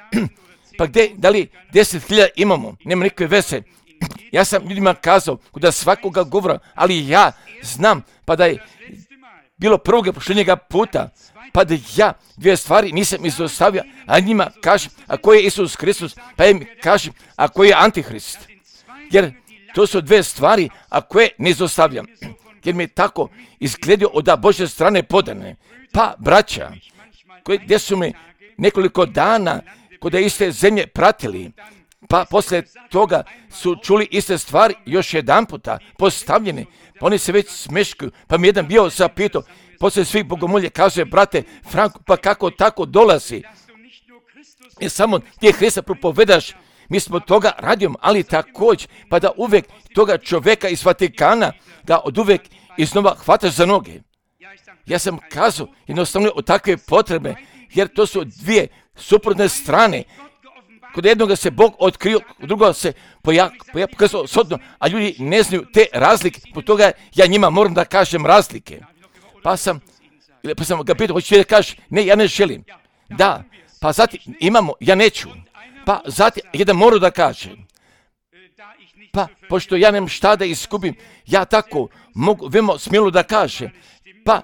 pa gdje, da li 10.000 imamo, nema nikakve veze. Ja sam ljudima kazao, kod svakoga govora, ali ja znam, pa da je bilo prvog pošljenjega puta, pa da ja 2 stvari nisam izostavio, a njima kažem, a ko je Isus Hristos, pa im kažem, a ko je Antihrist. Jer to su 2 stvari, a koje ne izostavljam. Jer mi je tako izgledio od Božje strane podane. Pa, braća, gdje su me nekoliko dana kod iste zemlje pratili, pa poslije toga su čuli iste stvari još jedan puta postavljene, pa oni se već smeškaju, pa mi jedan bio zapitao, poslije svih bogomolje kazuje, brate Franko, pa kako tako dolazi? I samo ti Hrista propovedaš, mi smo toga radimo, ali također, pa da uvijek toga čovjeka iz Vatikana, da od uvijek iznova hvataš za noge. Ja sam kazao jednostavno o takve potrebe, jer to su 2 suprotne strane. Kod jednoga se Bog otkrio, kod drugoga se pokazao sodno, a ljudi ne znaju te razlike, po toga ja njima moram da kažem razlike. Pa sam ga pitao, hoćeš da kažeš, ne, ja ne želim. Da, pa zatim imamo, ja neću. Pa zatim jedan moram da kažem. Pa, pošto ja nemam šta da iskupim, ja tako mogu veoma smjelo da kažem. Pa,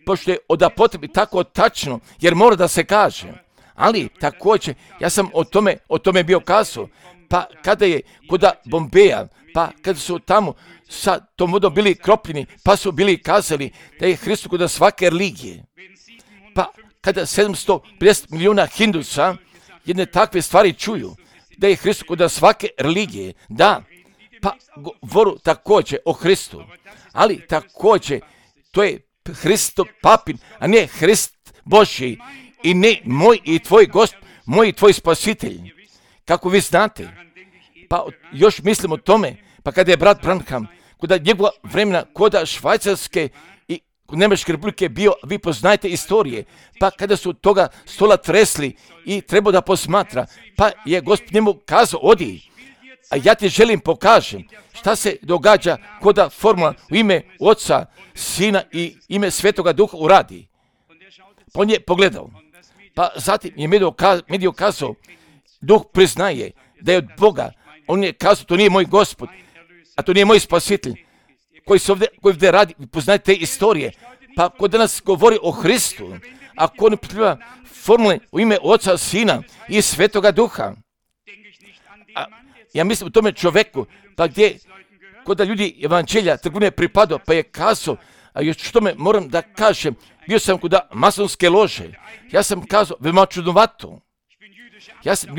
pošto je od potrebi tako tačno, jer mora da se kaže. Ali također, ja sam o tome bio kazao, pa kada je kod Bombeja, pa kada su tamo sa tom vodom bili kropljeni, pa su bili kazali da je Hristos kod svake religije. Pa kada 750 milijuna Hindusa jedne takve stvari čuju, da je Hristos kod svake religije, da, pa govoru također o Hristu, ali također to je Hristo papin, a ne Hrist Božji, i ne moj i tvoj Gospod, moj i tvoj spasitelj. Kako vi znate, pa još mislim o tome, pa kada je brat Branham, kod njegova vremena, kod Švajcarske i kod Njemačke republike bio, vi poznajete istorije, pa kada su toga stola tresli i trebao da posmatra, pa je Gospod njemu kazao, odi, a ja ti želim pokažem šta se događa kod formula u ime Oca, Sina i ime Svetoga Duha uradi. Pa on je pogledao. Pa zatim je medij kazao, Duh priznaje da je od Boga. On je kazao, to nije moj Gospod, a to nije moj spasitelj, koji ovdje radi, poznajete te istorije. Pa ko danas govori o Hristu, ako ne potrebuje formule u ime Oca, Sina i Svetoga Duha, ja mislim u tome čovjeku, pa gdje kod ljudi evanđelja trgovine pripadao, pa je kazao, a još što me moram da kažem, bio sam kod masonske lože, ja sam kazao, veoma čudnovato, ja sam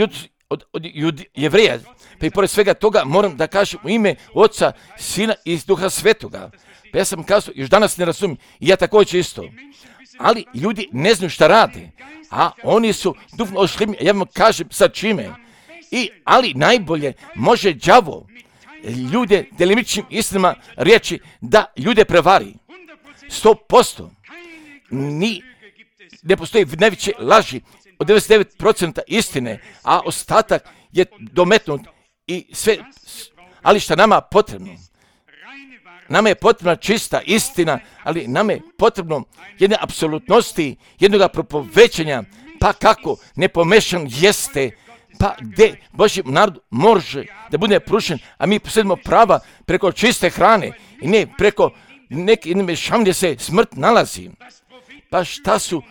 od Jevreja, pa i pored svega toga moram da kažem u ime Oca, Sina i Duha Svetoga, pa ja sam kazao, još danas ne razumijem, i ja također isto, ali ljudi ne znaju šta rade, a oni su duhovno ošlimljeni, ja vam kažem sa čime, ali najbolje može đavo ljude delimičnim istinama riječi da ljude prevari. 100%. Ne postoji najveće laži od 99% istine, a ostatak je dometnut i sve. Ali šta nama potrebno? Nama je potrebna čista istina, ali nama je potrebno jedne apsolutnosti, jednoga propovećanja, pa kako nepomešan jeste, pa gdje Božji narod može da bude pružen, a mi posjedimo prava preko čiste hrane i ne preko neke mešavine gdje se smrt nalazi. Pa šta su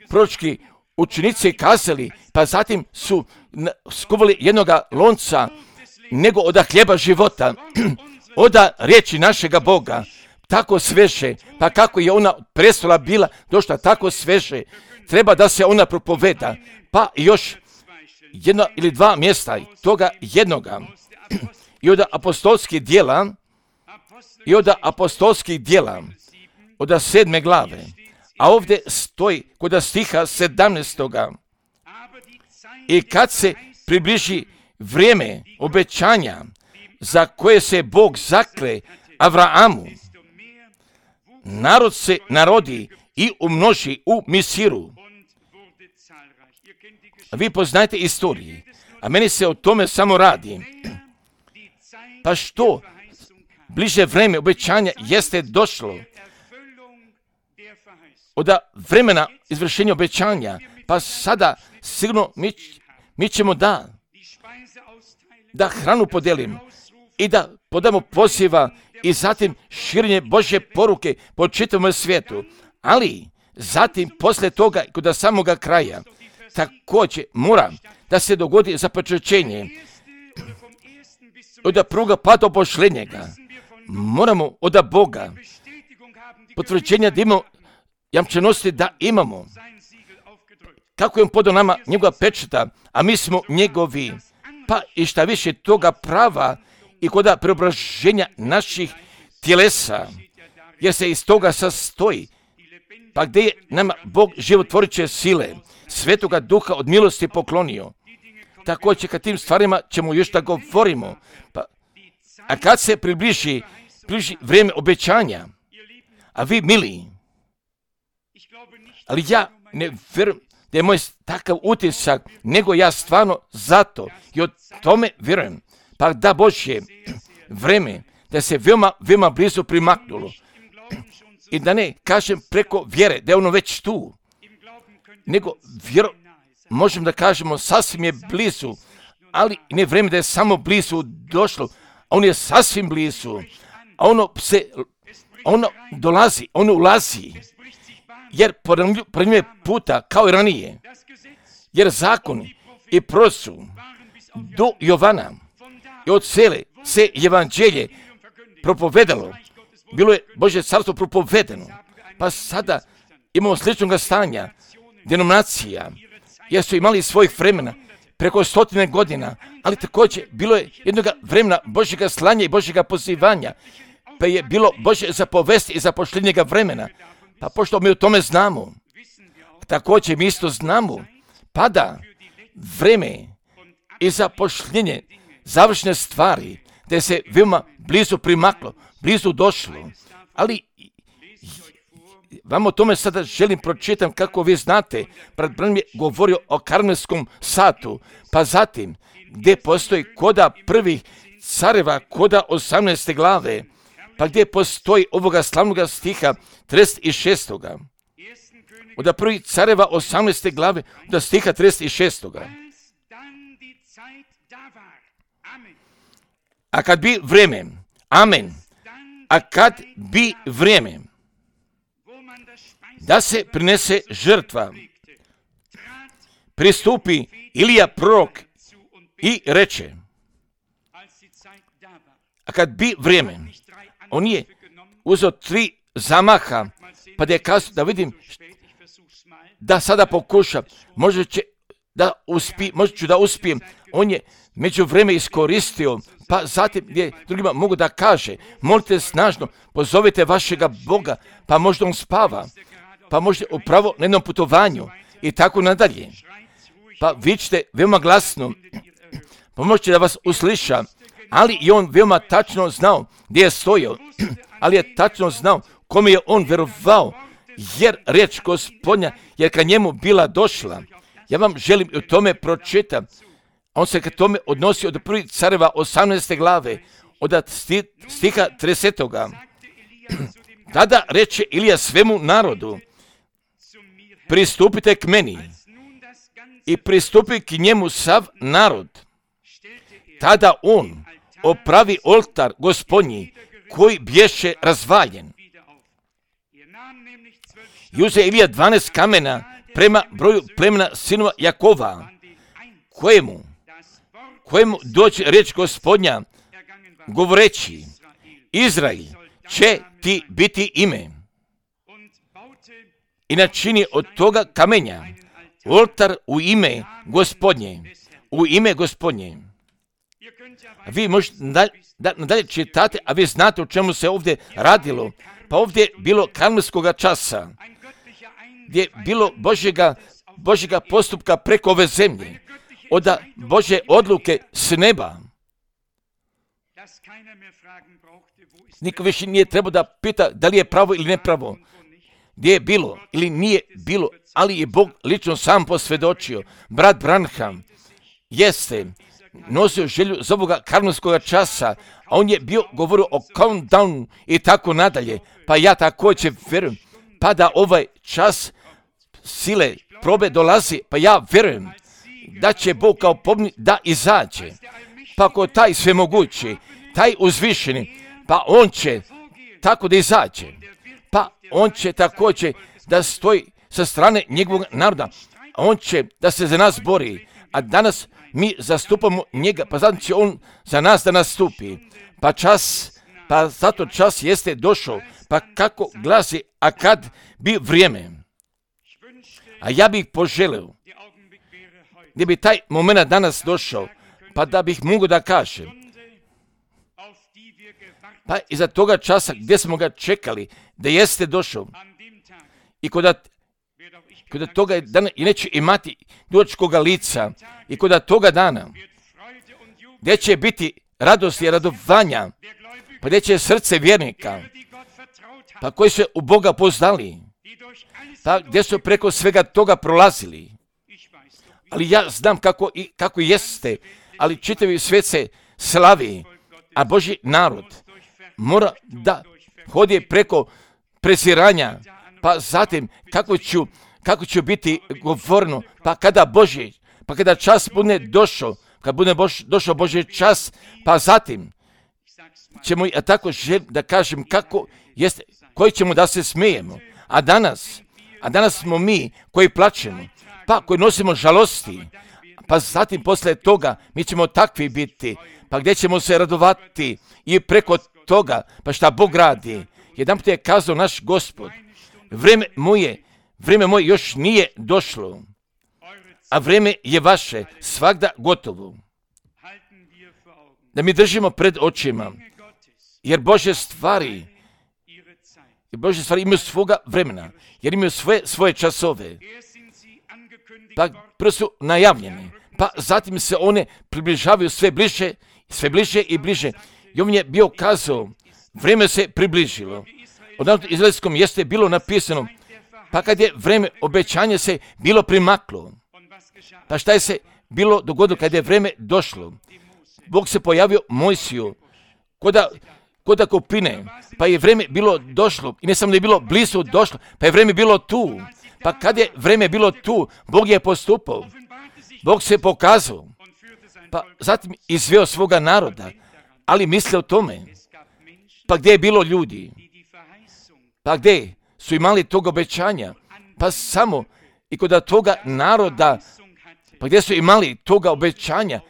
proročki učenici kazali, pa zatim su skuvali jednoga lonca nego od hljeba života, od riječi našega Boga, tako sveže, pa kako je ona prestola bila došla tako sveže, treba da se ona propoveda, pa još 1 ili 2 mjesta toga jednoga i od apostolskih dijela od 7. glave, a ovdje stoji kod stiha 17. I kad se približi vrijeme obećanja za koje se Bog zakle Avraamu, narod se narodi i umnoži u Misiru. Vi poznajete istoriju, a meni se o tome samo radi. Pa što bliže vrijeme obećanja jeste došlo od vremena izvršenja obećanja, pa sada sigurno mi ćemo da hranu podelim i da podamo poziva i zatim širenje Božje poruke po čitavom svijetu. Ali zatim poslije toga kod samoga kraja također mora da se dogodi započećenje od prvoga pa do posljednjega. Moramo od Boga potvrđenja da imamo jamčenosti da imamo. Kako je on podao nama njegova pečata, a mi smo njegovi. Pa i šta više toga prava i kod preobraženja naših tjelesa, jer se iz toga sastoji. Pa gdje je nama Bog životvoreće sile, Svetoga Duha od milosti poklonio. Također kad tim stvarima ćemo još da govorimo. A kad se približi vrijeme obećanja, a vi mili, ali ja ne vjerujem da je moj takav utisak, nego ja stvarno zato i o tome vjerujem. Pa da Božje vrijeme, da se veoma blizu primaknulo. I da ne kažem preko vjere, da je ono već tu, nego možemo da kažemo sasvim je blizu, ali ne vrijeme da je samo blizu došlo, a on je sasvim blizu, a ono dolazi, ono ulazi, jer ponavljuje puta kao i ranije, jer zakon i prosu do Jovana i od cele se evanđelje propovedalo, bilo je Božje carstvo propovedeno, pa sada imamo sličnog stanja, denominacija, jer su imali svojih vremena preko 100 godina, ali također bilo je jednog vremena Božjega slanja i Božjega pozivanja, pa je bilo Božje zapovesti i zapošljenjega vremena. Pa pošto mi o tome znamo, također mi isto znamo, pada vreme i zapošljenje završne stvari, gdje se veoma blizu primaklo, blizu došlo, ali vam o tome sada želim pročitam kako vi znate, brat Branham je govorio o karmelskom satu, pa zatim gdje postoji koda prvih careva, koda 18. glave, pa gdje postoji ovoga slavnoga stiha 36. Od prvih careva 18. glave do stiha 36. A kad bi vrijeme, amen, a kad bi vrijeme da se prinese žrtva, pristupi Ilija prorok i reče, a kad bi vrijeme, on je uzeo 3 zamaha, pa da je kazao da vidim da sada pokušam, možda ću da uspijem. On je među vreme iskoristio, pa zatim gdje drugima mogu da kaže, molite snažno, pozovite vašega Boga, pa možda on spava, pa možda upravo na jednom putovanju i tako nadalje. Pa vičite veoma glasno, pa možete da vas usliša, ali i on veoma tačno znao gdje je stojao, ali je tačno znao kome je on verovao, jer riječ Gospodnja je ka njemu bila došla. Ja vam želim o tome pročitam. On se ka tome odnosi od prvih careva 18. glave, od stiha 30. Tada reče Ilija svemu narodu, pristupite k meni, i pristupi k njemu sav narod. Tada on opravi oltar Gospodnji koji bješe razvaljen. I uze Ilija 12 kamena prema broju plemena sinova Jakova, kojemu dođe reč Gospodnja, govoreći, Izrael će ti biti ime. I načini od toga kamenja oltar u ime Gospodnje, u ime Gospodnje. Vi možete nadalje čitate, a vi znate o čemu se ovdje radilo. Pa ovdje je bilo karmelskoga časa, gdje je bilo Božjega postupka preko ove zemlje. od Božje odluke s neba. Niko više nije trebao da pita da li je pravo ili nepravo, gdje je bilo ili nije bilo, ali je Bog lično sam posvjedočio. Brat Branham jeste nosio želju za ovoga karmelskog časa, a on je bio govorio o countdownu i tako nadalje. Pa ja također vjerujem, pa da ovaj čas sile probe dolazi, pa ja vjerujem da će Bog kao pobjednik da izađe. Pa ako taj svemogući, taj uzvišeni, pa on će tako da izađe. Pa on će također da stoji sa strane njegovog naroda. On će da se za nas bori, a danas mi zastupamo njega, pa zato će on za nas da nastupi. Pa zato čas jeste došao, pa kako glasi, a kad bi vrijeme. A ja bih poželio gdje bi taj moment danas došao, pa da bih mogao da kažem, pa iza toga časa gdje smo ga čekali, da jeste došao i kod toga dana i neće imati dugačkoga lica i kod toga dana gdje će biti radost i radovanja, pa gdje će srce vjernika, pa koji su u Boga poznali, pa gdje su preko svega toga prolazili. Ali ja znam kako jeste, ali čitavi svijet se slavi, a Božji narod mora da hodi preko presiranja, pa zatim kako ću biti govorno, pa kada čas bude došao, kad bude došao Božji čas, pa zatim ćemo tako da kažem kako jeste, koji ćemo da se smijemo. A danas smo mi koji plačemo, pa koji nosimo žalosti, pa zatim posle toga mi ćemo takvi biti, pa gdje ćemo se radovati i preko toga, pa šta Bog radi. Jedanput je kazao naš Gospod, vrijeme moje još nije došlo, a vrijeme je vaše svagda gotovo. Da mi držimo pred očima, jer Božje stvari imaju svoga vremena, jer imaju svoje časove. Pa prvo su najavljene, pa zatim se one približavaju sve bliže i bliže. I on je bio kazao, vrijeme se približilo. Od narodu izraelskom jeste bilo napisano, pa kad je vrijeme obećanja se bilo primaklo, pa šta je se bilo dogodilo kad je vrijeme došlo? Bog se pojavio Mojsiju kod kupine, pa je vrijeme bilo došlo i ne samo da je bilo blizu došlo, pa je vrijeme bilo tu. Pa kad je vrijeme bilo tu, Bog je postupao, Bog se pokazao, pa zatim izveo svoga naroda, ali misle o tome, pa gdje je bilo ljudi, pa gdje su imali tog obećanja, pa samo i kod toga naroda, pa gdje su imali toga obećanja,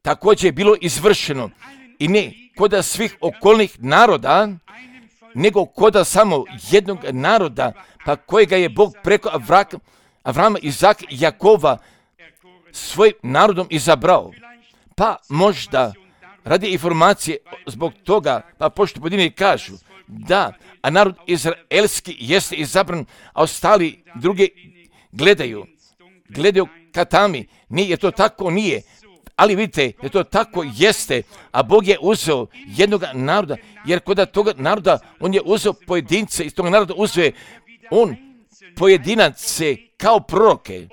također je bilo izvršeno i ne kod svih okolnih naroda, nego kod samo jednog naroda, pa kojega je Bog preko Avrama, Izaka i Jakova svojim narodom izabrao. Pa možda radi informacije zbog toga, pa pošto pojedini kažu da, a narod izraelski jeste izabran, a ostali drugi gledaju katami, nije to tako, nije. Ali vidite, da to tako jeste, a Bog je uzeo jednog naroda, jer kod toga naroda on je uzeo pojedince, iz toga naroda uzeo on pojedinace kao proroke,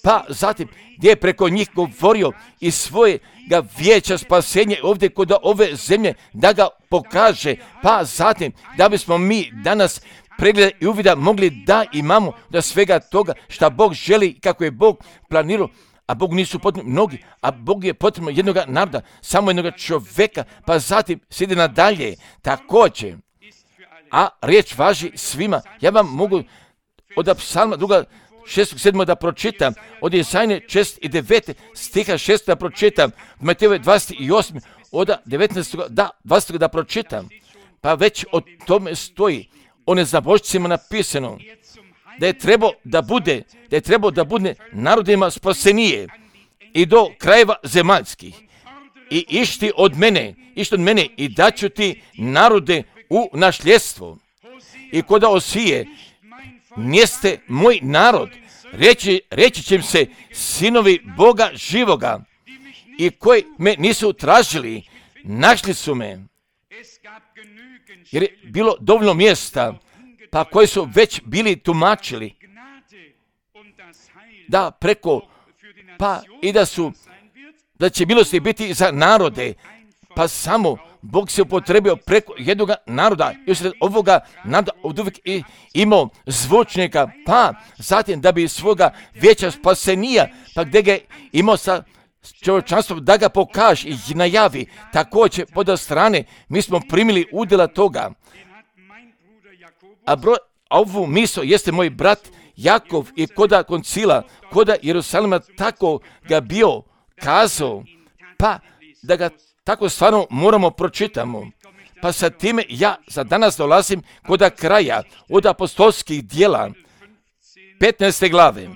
pa zatim gdje je preko njih govorio i svojega vijeća spasenja ovdje kod ove zemlje da ga pokaže, pa zatim da bismo mi danas pregleda i uvida mogli da imamo da svega toga šta Bog želi, kako je Bog planirao. A Bog nisu potrebni mnogi, a Bog je potrebno jednog naroda, samo jednog čovjeka, pa zatim slijedi nadalje također. A riječ važi svima. Ja vam mogu od Psalma 6. 7. da pročitam, od Jesajne 6. i 9. stiha 6. da pročitam, od Matejove 28. od 19. da 20. da pročitam. Pa već o tome stoji, o nezabožcima napisano, da je trebao da bude narodima spasenije i do krajeva zemaljskih. I išti od mene i daću ti narode u nasljedstvo. I kod Osije, njeste moj narod, reći će im se sinovi Boga živoga i koji me nisu tražili, našli su me. Jer je bilo dovoljno mjesta, pa koji su već bili tumačili da preko, pa i da će milosti biti za narode, pa samo Bog se upotrebio preko jednog naroda, još ovoga naroda od uvijek imao zvučnika, pa zatim da bi svoga vijeća spasenija, pa gdje ga imao sa čovječanstvom da ga pokaže i najavi, također pod strane mi smo primili udjela toga. A ovu misao jeste moj brat Jakov i koda koncila, koda Jerusalima tako ga bio kazao, pa da ga tako stvarno moramo pročitamo. Pa sa time ja za danas dolazim koda kraja od apostolskih dijela 15. glave.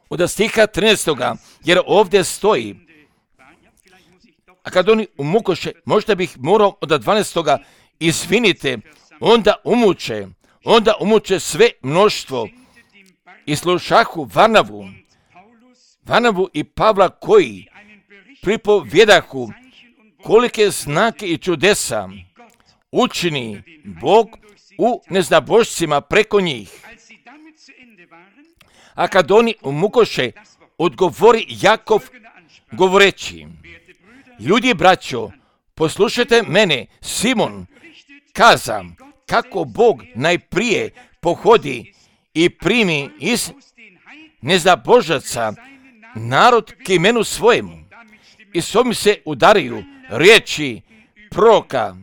Od stiha 13. jer ovdje stoji, a kad oni umukoše, možda bih morao od 12. izvinite, onda umuče sve mnoštvo i slušahu Varnavu i Pavla koji pripovjedahu kolike znake i čudesa učini Bog u neznabošcima preko njih. A kad oni umukoše, odgovori Jakov govoreći, ljudi braćo, poslušajte mene, Simon kaza kako Bog najprije pohodi i primi iz nezabožaca narod k imenu svojemu i s ovim se udaraju riječi proroka,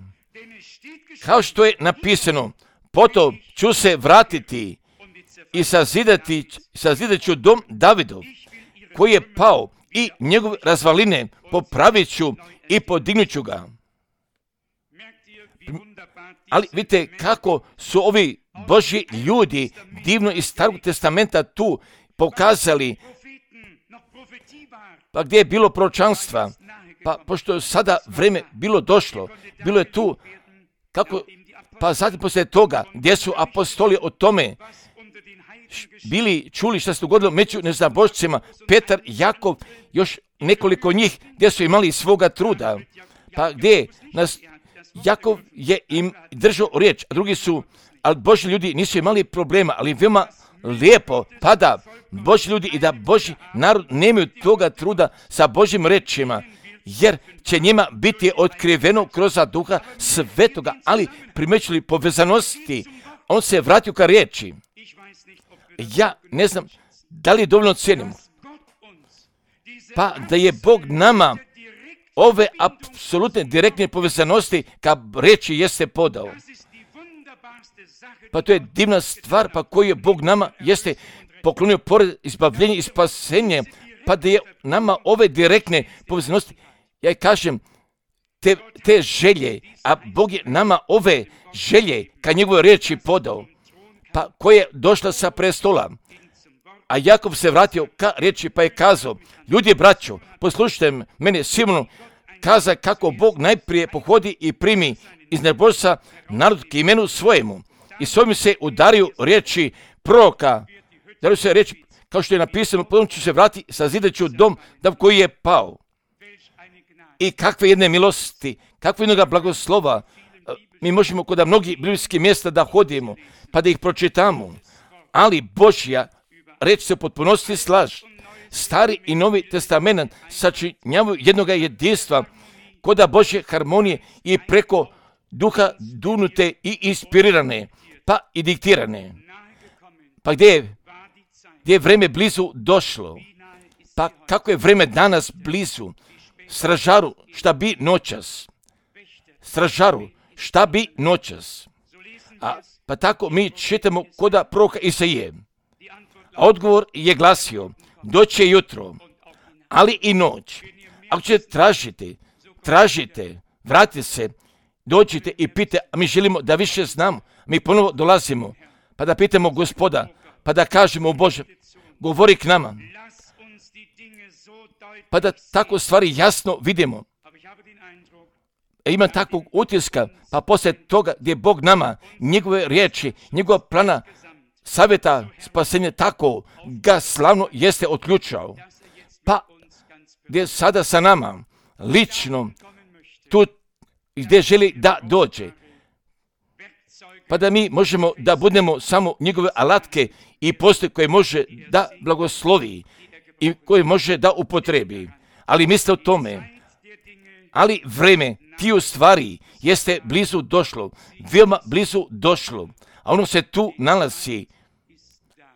kao što je napisano, potom ću se vratiti i sazidat ću dom Davidov koji je pao i njegove razvaline popravit ću i podignut ću ga. Ali vidite kako su ovi Božji ljudi divno iz Starog testamenta tu pokazali, pa gdje je bilo proročanstva, pa pošto je sada vrijeme bilo došlo, bilo je tu, kako, pa zatim poslije toga gdje su apostoli o tome bili čuli što se dogodilo među neznabošcima, Petar, Jakov, još nekoliko njih gdje su imali svoga truda, pa gdje nas Jakov je im držao riječ, a drugi su, ali Božji ljudi nisu imali problema, ali veoma lijepo, pa da Božji ljudi i da Božji narod nemaju toga truda sa Božjim rečima, jer će njima biti otkriveno kroz duha svetoga, ali primećuli povezanosti, on se vratio ka riječi. Ja ne znam da li dovoljno cijenimo, pa da je Bog nama ove apsolutne direktne povezanosti ka riječi jeste podao. Pa to je divna stvar, pa koju je Bog nama jeste poklonio pored izbavljenja i spasenja, pa da je nama ove direktne povezanosti, ja kažem, te želje, a Bog je nama ove želje ka njegovoj riječi podao, pa koja je došla sa prestola. A Jakov se vratio ka riječi pa je kazao, ljudi braćo, poslušajte mene, Simonu, kaza kako Bog najprije pohodi i primi iz nezabožca narod k imenu svojemu. I s ovim se udaraju riječi proroka, udaraju se riječi, kao što je napisano, potom ću se vratiti, sazidat ću dom koji je pao. I kakve jedne milosti, kakve jednoga blagoslova, mi možemo kod mnogih biblijskih mjesta da hodimo, pa da ih pročitamo, ali Božja reč se u potpunosti slaže. Stari i Novi testament sačinjavaju jednoga jedinstva, koda Božje harmonije i preko duha dunute i inspirirane, pa i diktirane. Pa gdje je vrijeme blizu došlo, pa kako je vrijeme danas blizu, stražaru šta bi noćas, stražaru šta bi noćas. Pa tako mi čitamo koda proroka Isaije. A odgovor je glasio, doće jutro, ali i noć. Ako ćete tražite, vratite se, dođite i pite, a mi želimo da više znamo. Mi ponovo dolazimo, pa da pitamo Gospoda, pa da kažemo Bože, govori k nama. Pa da tako stvari jasno vidimo. Imam takvog utiska, pa poslije toga gdje Bog nama, njegove riječi, njegova plana savjeta spasenja, tako ga slavno jeste otključao. Pa gdje sada sa nama, lično, tu gdje želi da dođe. Pa da mi možemo da budemo samo njegove alatke i postoje koje može da blagoslovi i koje može da upotrebi. Ali misle o tome, ali vreme tiju stvari jeste blizu došlo, veoma blizu došlo, a ono se tu nalazi,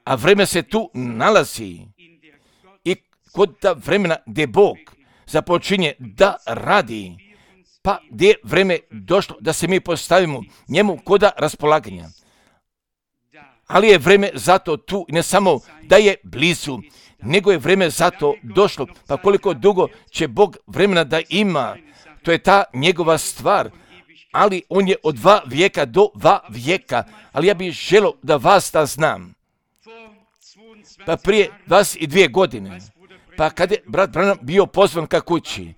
a vreme se tu nalazi i kod ta vremena gdje Bog započinje da radi, pa gdje je vreme došlo da se mi postavimo njemu koda raspolaganja. Ali je vreme zato tu, ne samo da je blizu, nego je vreme zato došlo. Pa koliko dugo će Bog vremena da ima, to je ta njegova stvar. Ali on je od 2 vijeka do 2 vijeka. Ali ja bih želio da vas da znam. Pa prije 22 godine, pa kad je brat Branham bio pozvan ka kući,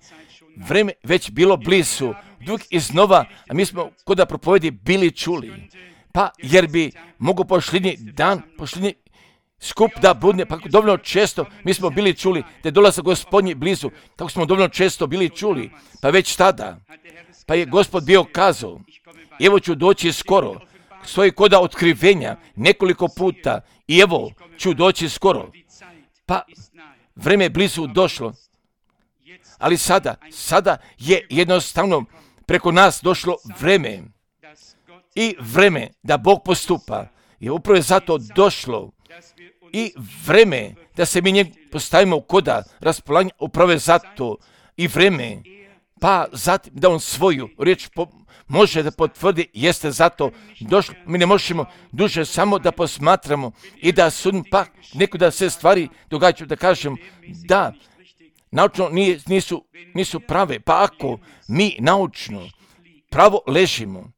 vreme već bilo blizu, dug iznova, a mi smo kod propovedi bili čuli. Pa jer bi mogo pošljednji dan, pošljednji skup da budne, pa dovoljno često mi smo bili čuli da je dolazak Gospodnji blizu, tako smo dovoljno često bili čuli, pa već tada, pa je Gospod bio kazao, evo ću doći skoro, stoji koda otkrivenja nekoliko puta i evo ću doći skoro, pa vreme je blizu došlo, ali sada je jednostavno preko nas došlo vreme i vreme da Bog postupa je upravo je zato došlo i vreme da se mi njeg postavimo koda raspolaganja upravo je zato i vreme pa zatim da on svoju riječ može da potvrdi jeste zato došlo. Mi ne možemo duže samo da posmatramo i da sudimo pa neko da se stvari događaju da kažem da naučno nisu prave, pa ako mi naučno pravo ležimo,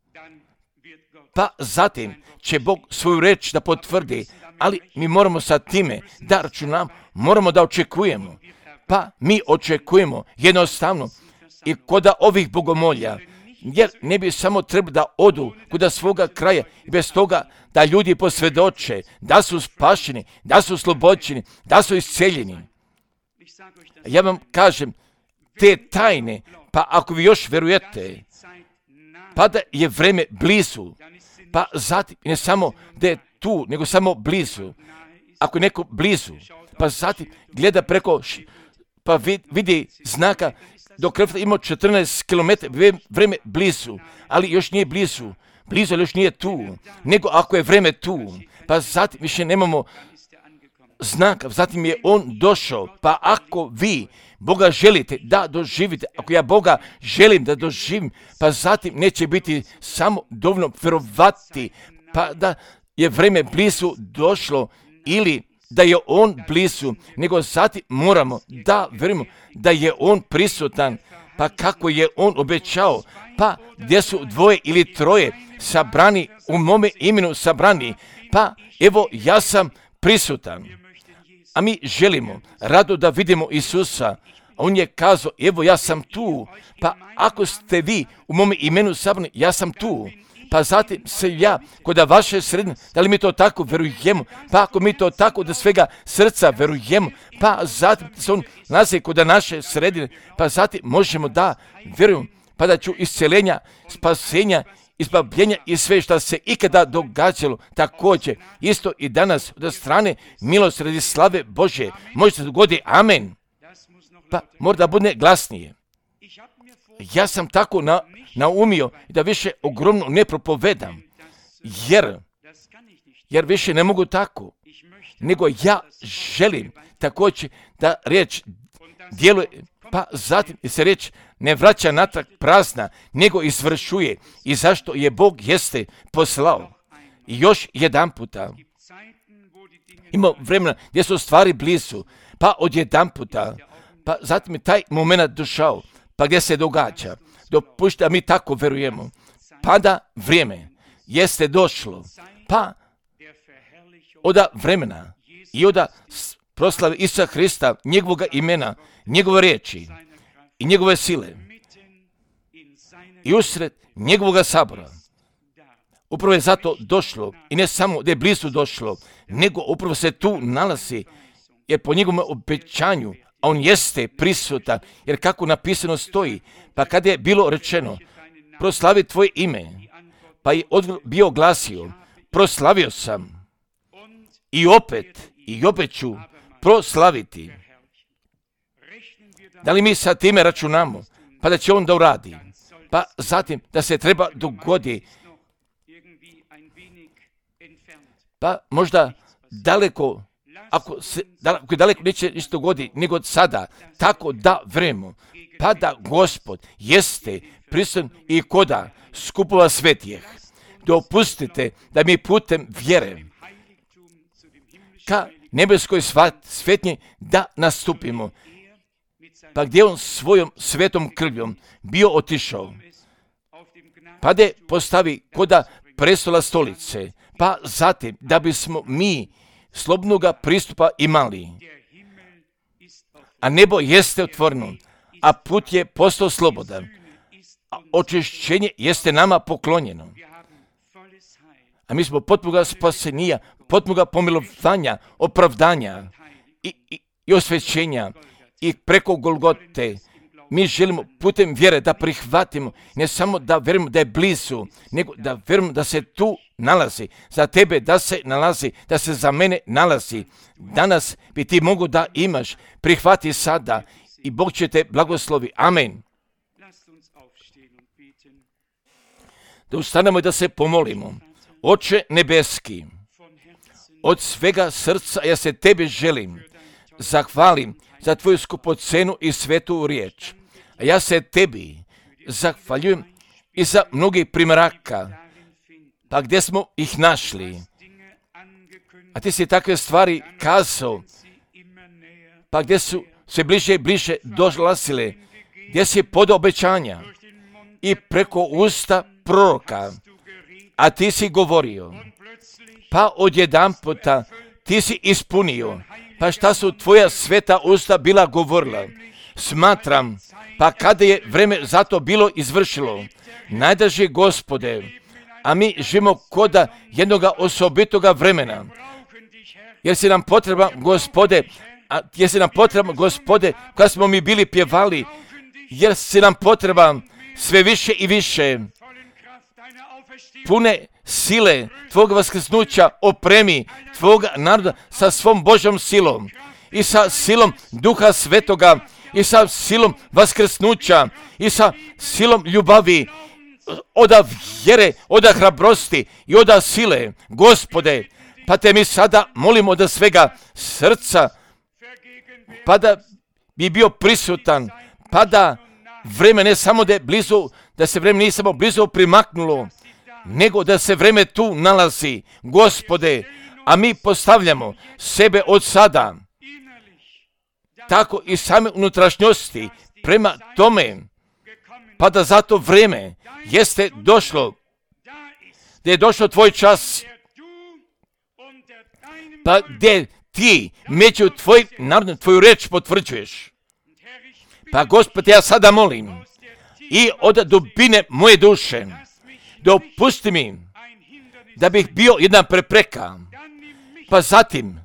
pa zatim će Bog svoju reč da potvrdi, ali mi moramo sa time da računamo, moramo da očekujemo, pa mi očekujemo jednostavno i koda ovih bogomolja, jer ne bi samo trebali da odu kuda svoga kraja i bez toga da ljudi posvjedoče da su spašeni, da su oslobođeni, da su isceljeni. Ja vam kažem, te tajne, pa ako vi još verujete, pa da je vreme blizu, pa zatim ne samo da je tu, nego samo blizu. Ako je neko blizu, pa zatim gleda preko, pa vidi znaka, do Krefta ima 14 km, vreme blizu, ali još nije blizu, ali još nije tu, nego ako je vreme tu, pa zatim više nemamo znaka, zatim je on došao, pa ako vi Boga želite da doživite, ako ja Boga želim da doživim, pa zatim neće biti samo dovoljno vjerovati, pa da je vreme blizu došlo ili da je on blizu, nego zatim moramo da vjerujemo da je on prisutan, pa kako je on obećao, pa gdje su 2 ili 3 sabrani u mome imenu sabrani, pa evo ja sam prisutan. A mi želimo rado da vidimo Isusa. On je kazao, evo ja sam tu, pa ako ste vi u mome imenu sabrani, ja sam tu. Pa zatim se ja, kod vaše sredine, da li mi to tako verujemo, pa ako mi to tako da svega srca verujemo, pa zatim se on nalazi kod naše sredine, pa zatim možemo da vjerujemo, pa da ću isceljenja, spasenja, izbavljenja i sve što se ikada događalo, također, isto i danas od strane milosti radi slave Bože, može se dogoditi, amen. Pa mora da bude glasnije. Ja sam tako naumio da više ogromno ne propovedam, jer više ne mogu tako, nego ja želim također da riječ djeluje, pa zatim se riječ ne vraća natrag prazna, nego izvršuje i zašto je Bog jeste poslao. I još jedan puta ima vremena gdje su stvari blizu, pa odjedan puta, pa zatim je taj moment došao, pa gdje se događa, dopušta mi tako verujemo, pa da vrijeme jeste došlo, pa od vremena i od proslave Isusa Hrista, njegovog imena, njegove riječi i njegove sile i usred njegovog sabora, upravo je zato došlo, i ne samo da je blizu došlo, nego upravo se tu nalazi, jer po njegovom obećanju, a on jeste prisutan, jer kako napisano stoji, pa kada je bilo rečeno, proslavi tvoje ime, pa je bio glasio, proslavio sam, i opet ću proslaviti. Da li mi sa time računamo, pa da će on da uradi, pa zatim da se treba dogodi, pa možda daleko, ako je daleko neće ništa dogodi nego od sada, tako da vremo, pa da Gospod jeste prisutan i koda skupova svetijeh. Dopustite da mi putem vjere ka nebeskoj svetnji da nastupimo, pa gdje on svojom svetom krvjom bio otišao, pa da postavi koda prestola stolice, pa zatim da bismo mi slobodnoga pristupa imali. A nebo jeste otvoreno, a put je postao slobodan, a očišćenje jeste nama poklonjeno. A mi smo potpuno spasenija, potpuno pomilovanja, opravdanja i osvećenja i preko Golgote. Mi želimo putem vjere da prihvatimo, ne samo da vjerujemo da je blizu, nego da vjerujemo da se tu nalazi, za tebe da se nalazi, da se za mene nalazi. Danas bi ti mogu da imaš, prihvati sada i Bog će te blagoslovi. Amen. Da ustanemo i da se pomolimo. Oče nebeski, od svega srca ja se tebi želim, zahvalim za tvoju skupocenu i svetu riječ. A ja se tebi zahvaljujem i za mnogih primjeraka, pa gdje smo ih našli. A ti si takve stvari kazao, pa gdje su sve bliže i bliže dolazile, gdje si podao obećanja i preko usta proroka, a ti si govorio, pa odjedanputa ti si ispunio, pa šta su tvoja sveta usta bila govorila. Smatram, pa kada je vreme za to bilo izvršilo, najdraži Gospode, a mi živimo koda jednoga osobitoga vremena, jer si nam potreban, Gospode, kada smo mi bili pjevali, jer si nam potreban sve više i više, pune sile tvog vaskrsnuća opremi tvoga naroda sa svom Božjom silom i sa silom Duha Svetoga i sa silom vaskrsnuća i sa silom ljubavi, oda vjere, oda hrabrosti i oda sile. Gospode, pa te mi sada molimo da svega srca, pa da bi bio prisutan, pa da vreme ne samo da je blizu, da se vreme nije samo blizu primaknulo, nego da se vreme tu nalazi, Gospode, a mi postavljamo sebe od sada, tako i same unutrašnjosti prema tome, pa da zato vreme jeste došlo, da je došlo tvoj čas, pa gdje ti među tvojim narodom tvoju reč potvrđuješ. Pa Gospode, ja sada molim i od dubine moje duše, dopusti mi da bih bio jedna prepreka, pa zatim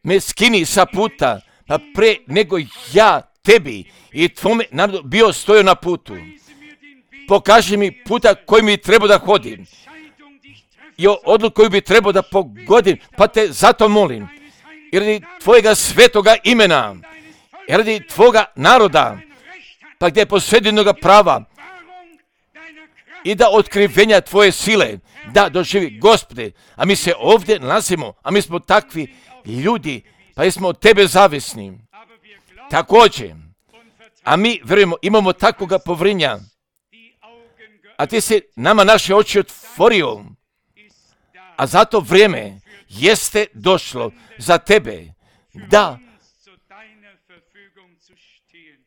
me skini sa puta, pa pre nego ja tebi i tvome narodu bio stojao na putu. Pokaži mi puta koji mi treba da hodim i odluku koju bi trebao da pogodim, pa te zato molim, jer radi tvojega svetoga imena, jer radi tvoga naroda, pa gdje je posvedenoga prava, i da otkrivenja tvoje sile da doživi, Gospode, a mi se ovdje nalazimo, a mi smo takvi ljudi, pa smo od tebe zavisni. Također, a mi vjerujemo, imamo takvoga povrinja, a ti si nama naše oči otvorio, a zato vrijeme jeste došlo za tebe da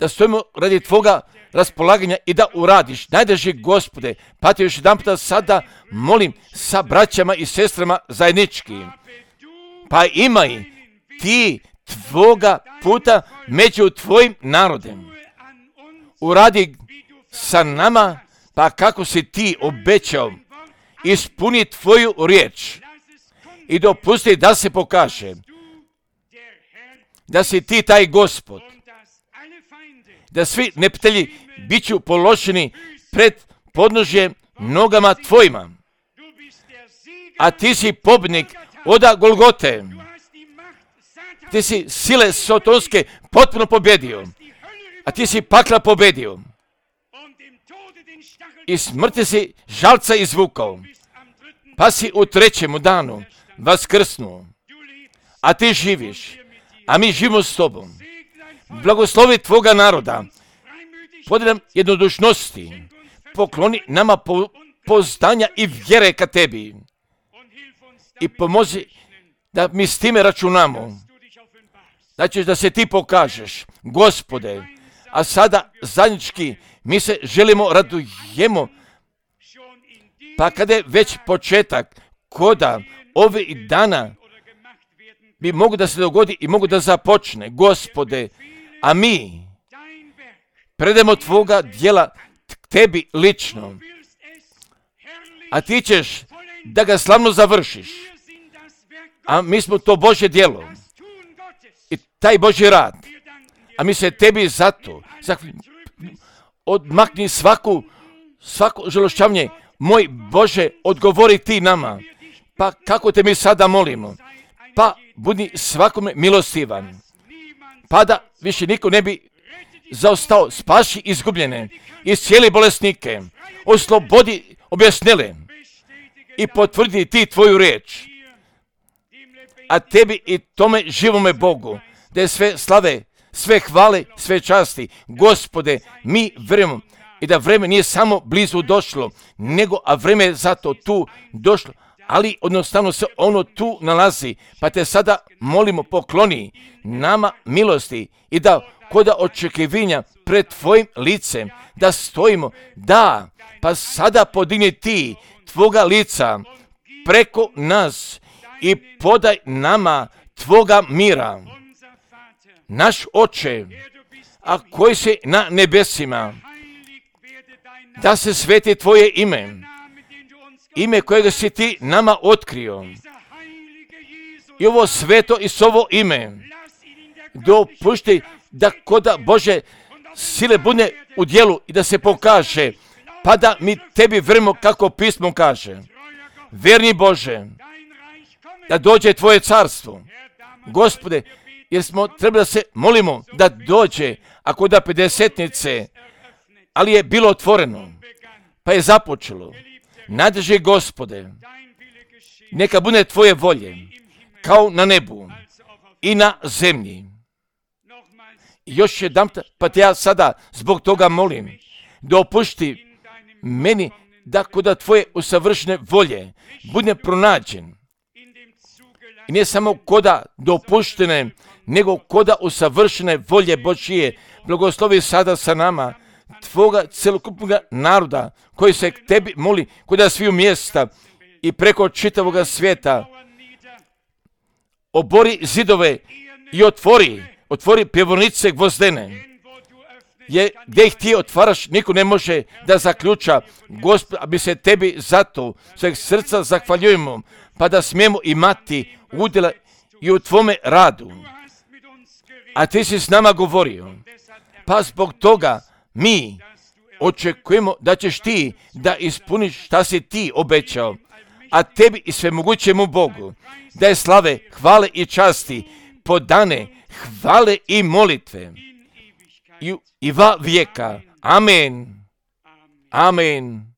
stojimo radi tvoga raspolaganja i da uradiš. Najdraži Gospode, pa te još jedan puta sada molim sa braćama i sestrama zajednički. Pa imaj ti tvoga puta među tvojim narodem. Uradi sa nama, pa kako si ti obećao, ispuni tvoju riječ i dopusti da se pokaže da si ti taj Gospod, da svi neprijatelji bit ću položeni pred podnožje nogama tvojima, a ti si pobjednik oda Golgote. Ti si sile sotonske potpuno pobjedio, a ti si pakla pobjedio i smrti si žalca izvukao, pa si u trećemu danu vaskrsnuo, a ti živiš, a mi živimo s tobom. Blagoslovi tvoga naroda, podaj nam jednodušnosti, pokloni nama poznanja i vjere ka tebi i pomozi da mi s time računamo. Znači da se ti pokažeš, Gospode, a sada zajednički mi se želimo radujemo, pa kada je već početak koda ovih dana bi mogu da se dogodi i mogu da započne, Gospode, a mi predemo tvoga djela tebi lično, a ti ćeš da ga slavno završiš, a mi smo to Božje djelo i taj Božji rad, a mi se tebi zato odmakni svako žalošćavanje, moj Bože, odgovori ti nama, pa kako te mi sada molimo, pa budi svakome milostivan, pa da više niko ne bi zaostao, spaši izgubljene, iscijeli bolesnike, oslobodi objesnele i potvrdi ti tvoju riječ, a tebi i tome živome Bogu, da je sve slave, sve hvale, sve časti, Gospode, mi vjerujemo i da vreme nije samo blizu došlo, nego a vreme je zato tu došlo, ali jednostavno se ono tu nalazi, pa te sada molimo, pokloni nama milosti i da koda očekivanja pred tvojim licem, da stojimo, da, pa sada podigni ti tvoga lica preko nas i podaj nama tvoga mira. Naš Oče, a koji si na nebesima, da se sveti tvoje ime kojega si ti nama otkrio. I ovo sveto i sovo ime dopušti da koda Bože sile bude u djelu i da se pokaže, pa da mi tebi vjerujemo kako pismo kaže. Vjerni Bože, da dođe tvoje carstvo, Gospode, jer smo trebali da se molimo da dođe, ako da 50-nice, ali je bilo otvoreno, pa je započelo. Nadrži, Gospode, neka bude tvoje volje, kao na nebu i na zemlji. Još jedan, pa te ja sada zbog toga molim, dopušti meni da koda tvoje usavršene volje bude pronađen. I nije samo koda dopuštene, nego koda usavršene volje Božije. Blagoslovi sada sa nama tvoga celokupnog naroda koji se k tebi moli koda sviju mjesta i preko čitavoga svijeta. Obori zidove i otvori pjevornice gvozdene. Gdje ih ti otvaraš, niko ne može da zaključa. Gospod, a mi se tebi zato sveg srca zahvaljujemo, pa da smijemo imati udjela i u tvome radu. A ti si s nama govorio, pa zbog toga mi očekujemo da ćeš ti da ispuniš šta si ti obećao, a tebi i svemogućemu Bogu da je slave, hvale i časti, podane hvale i molitve i va vijeka. Amen. Amen.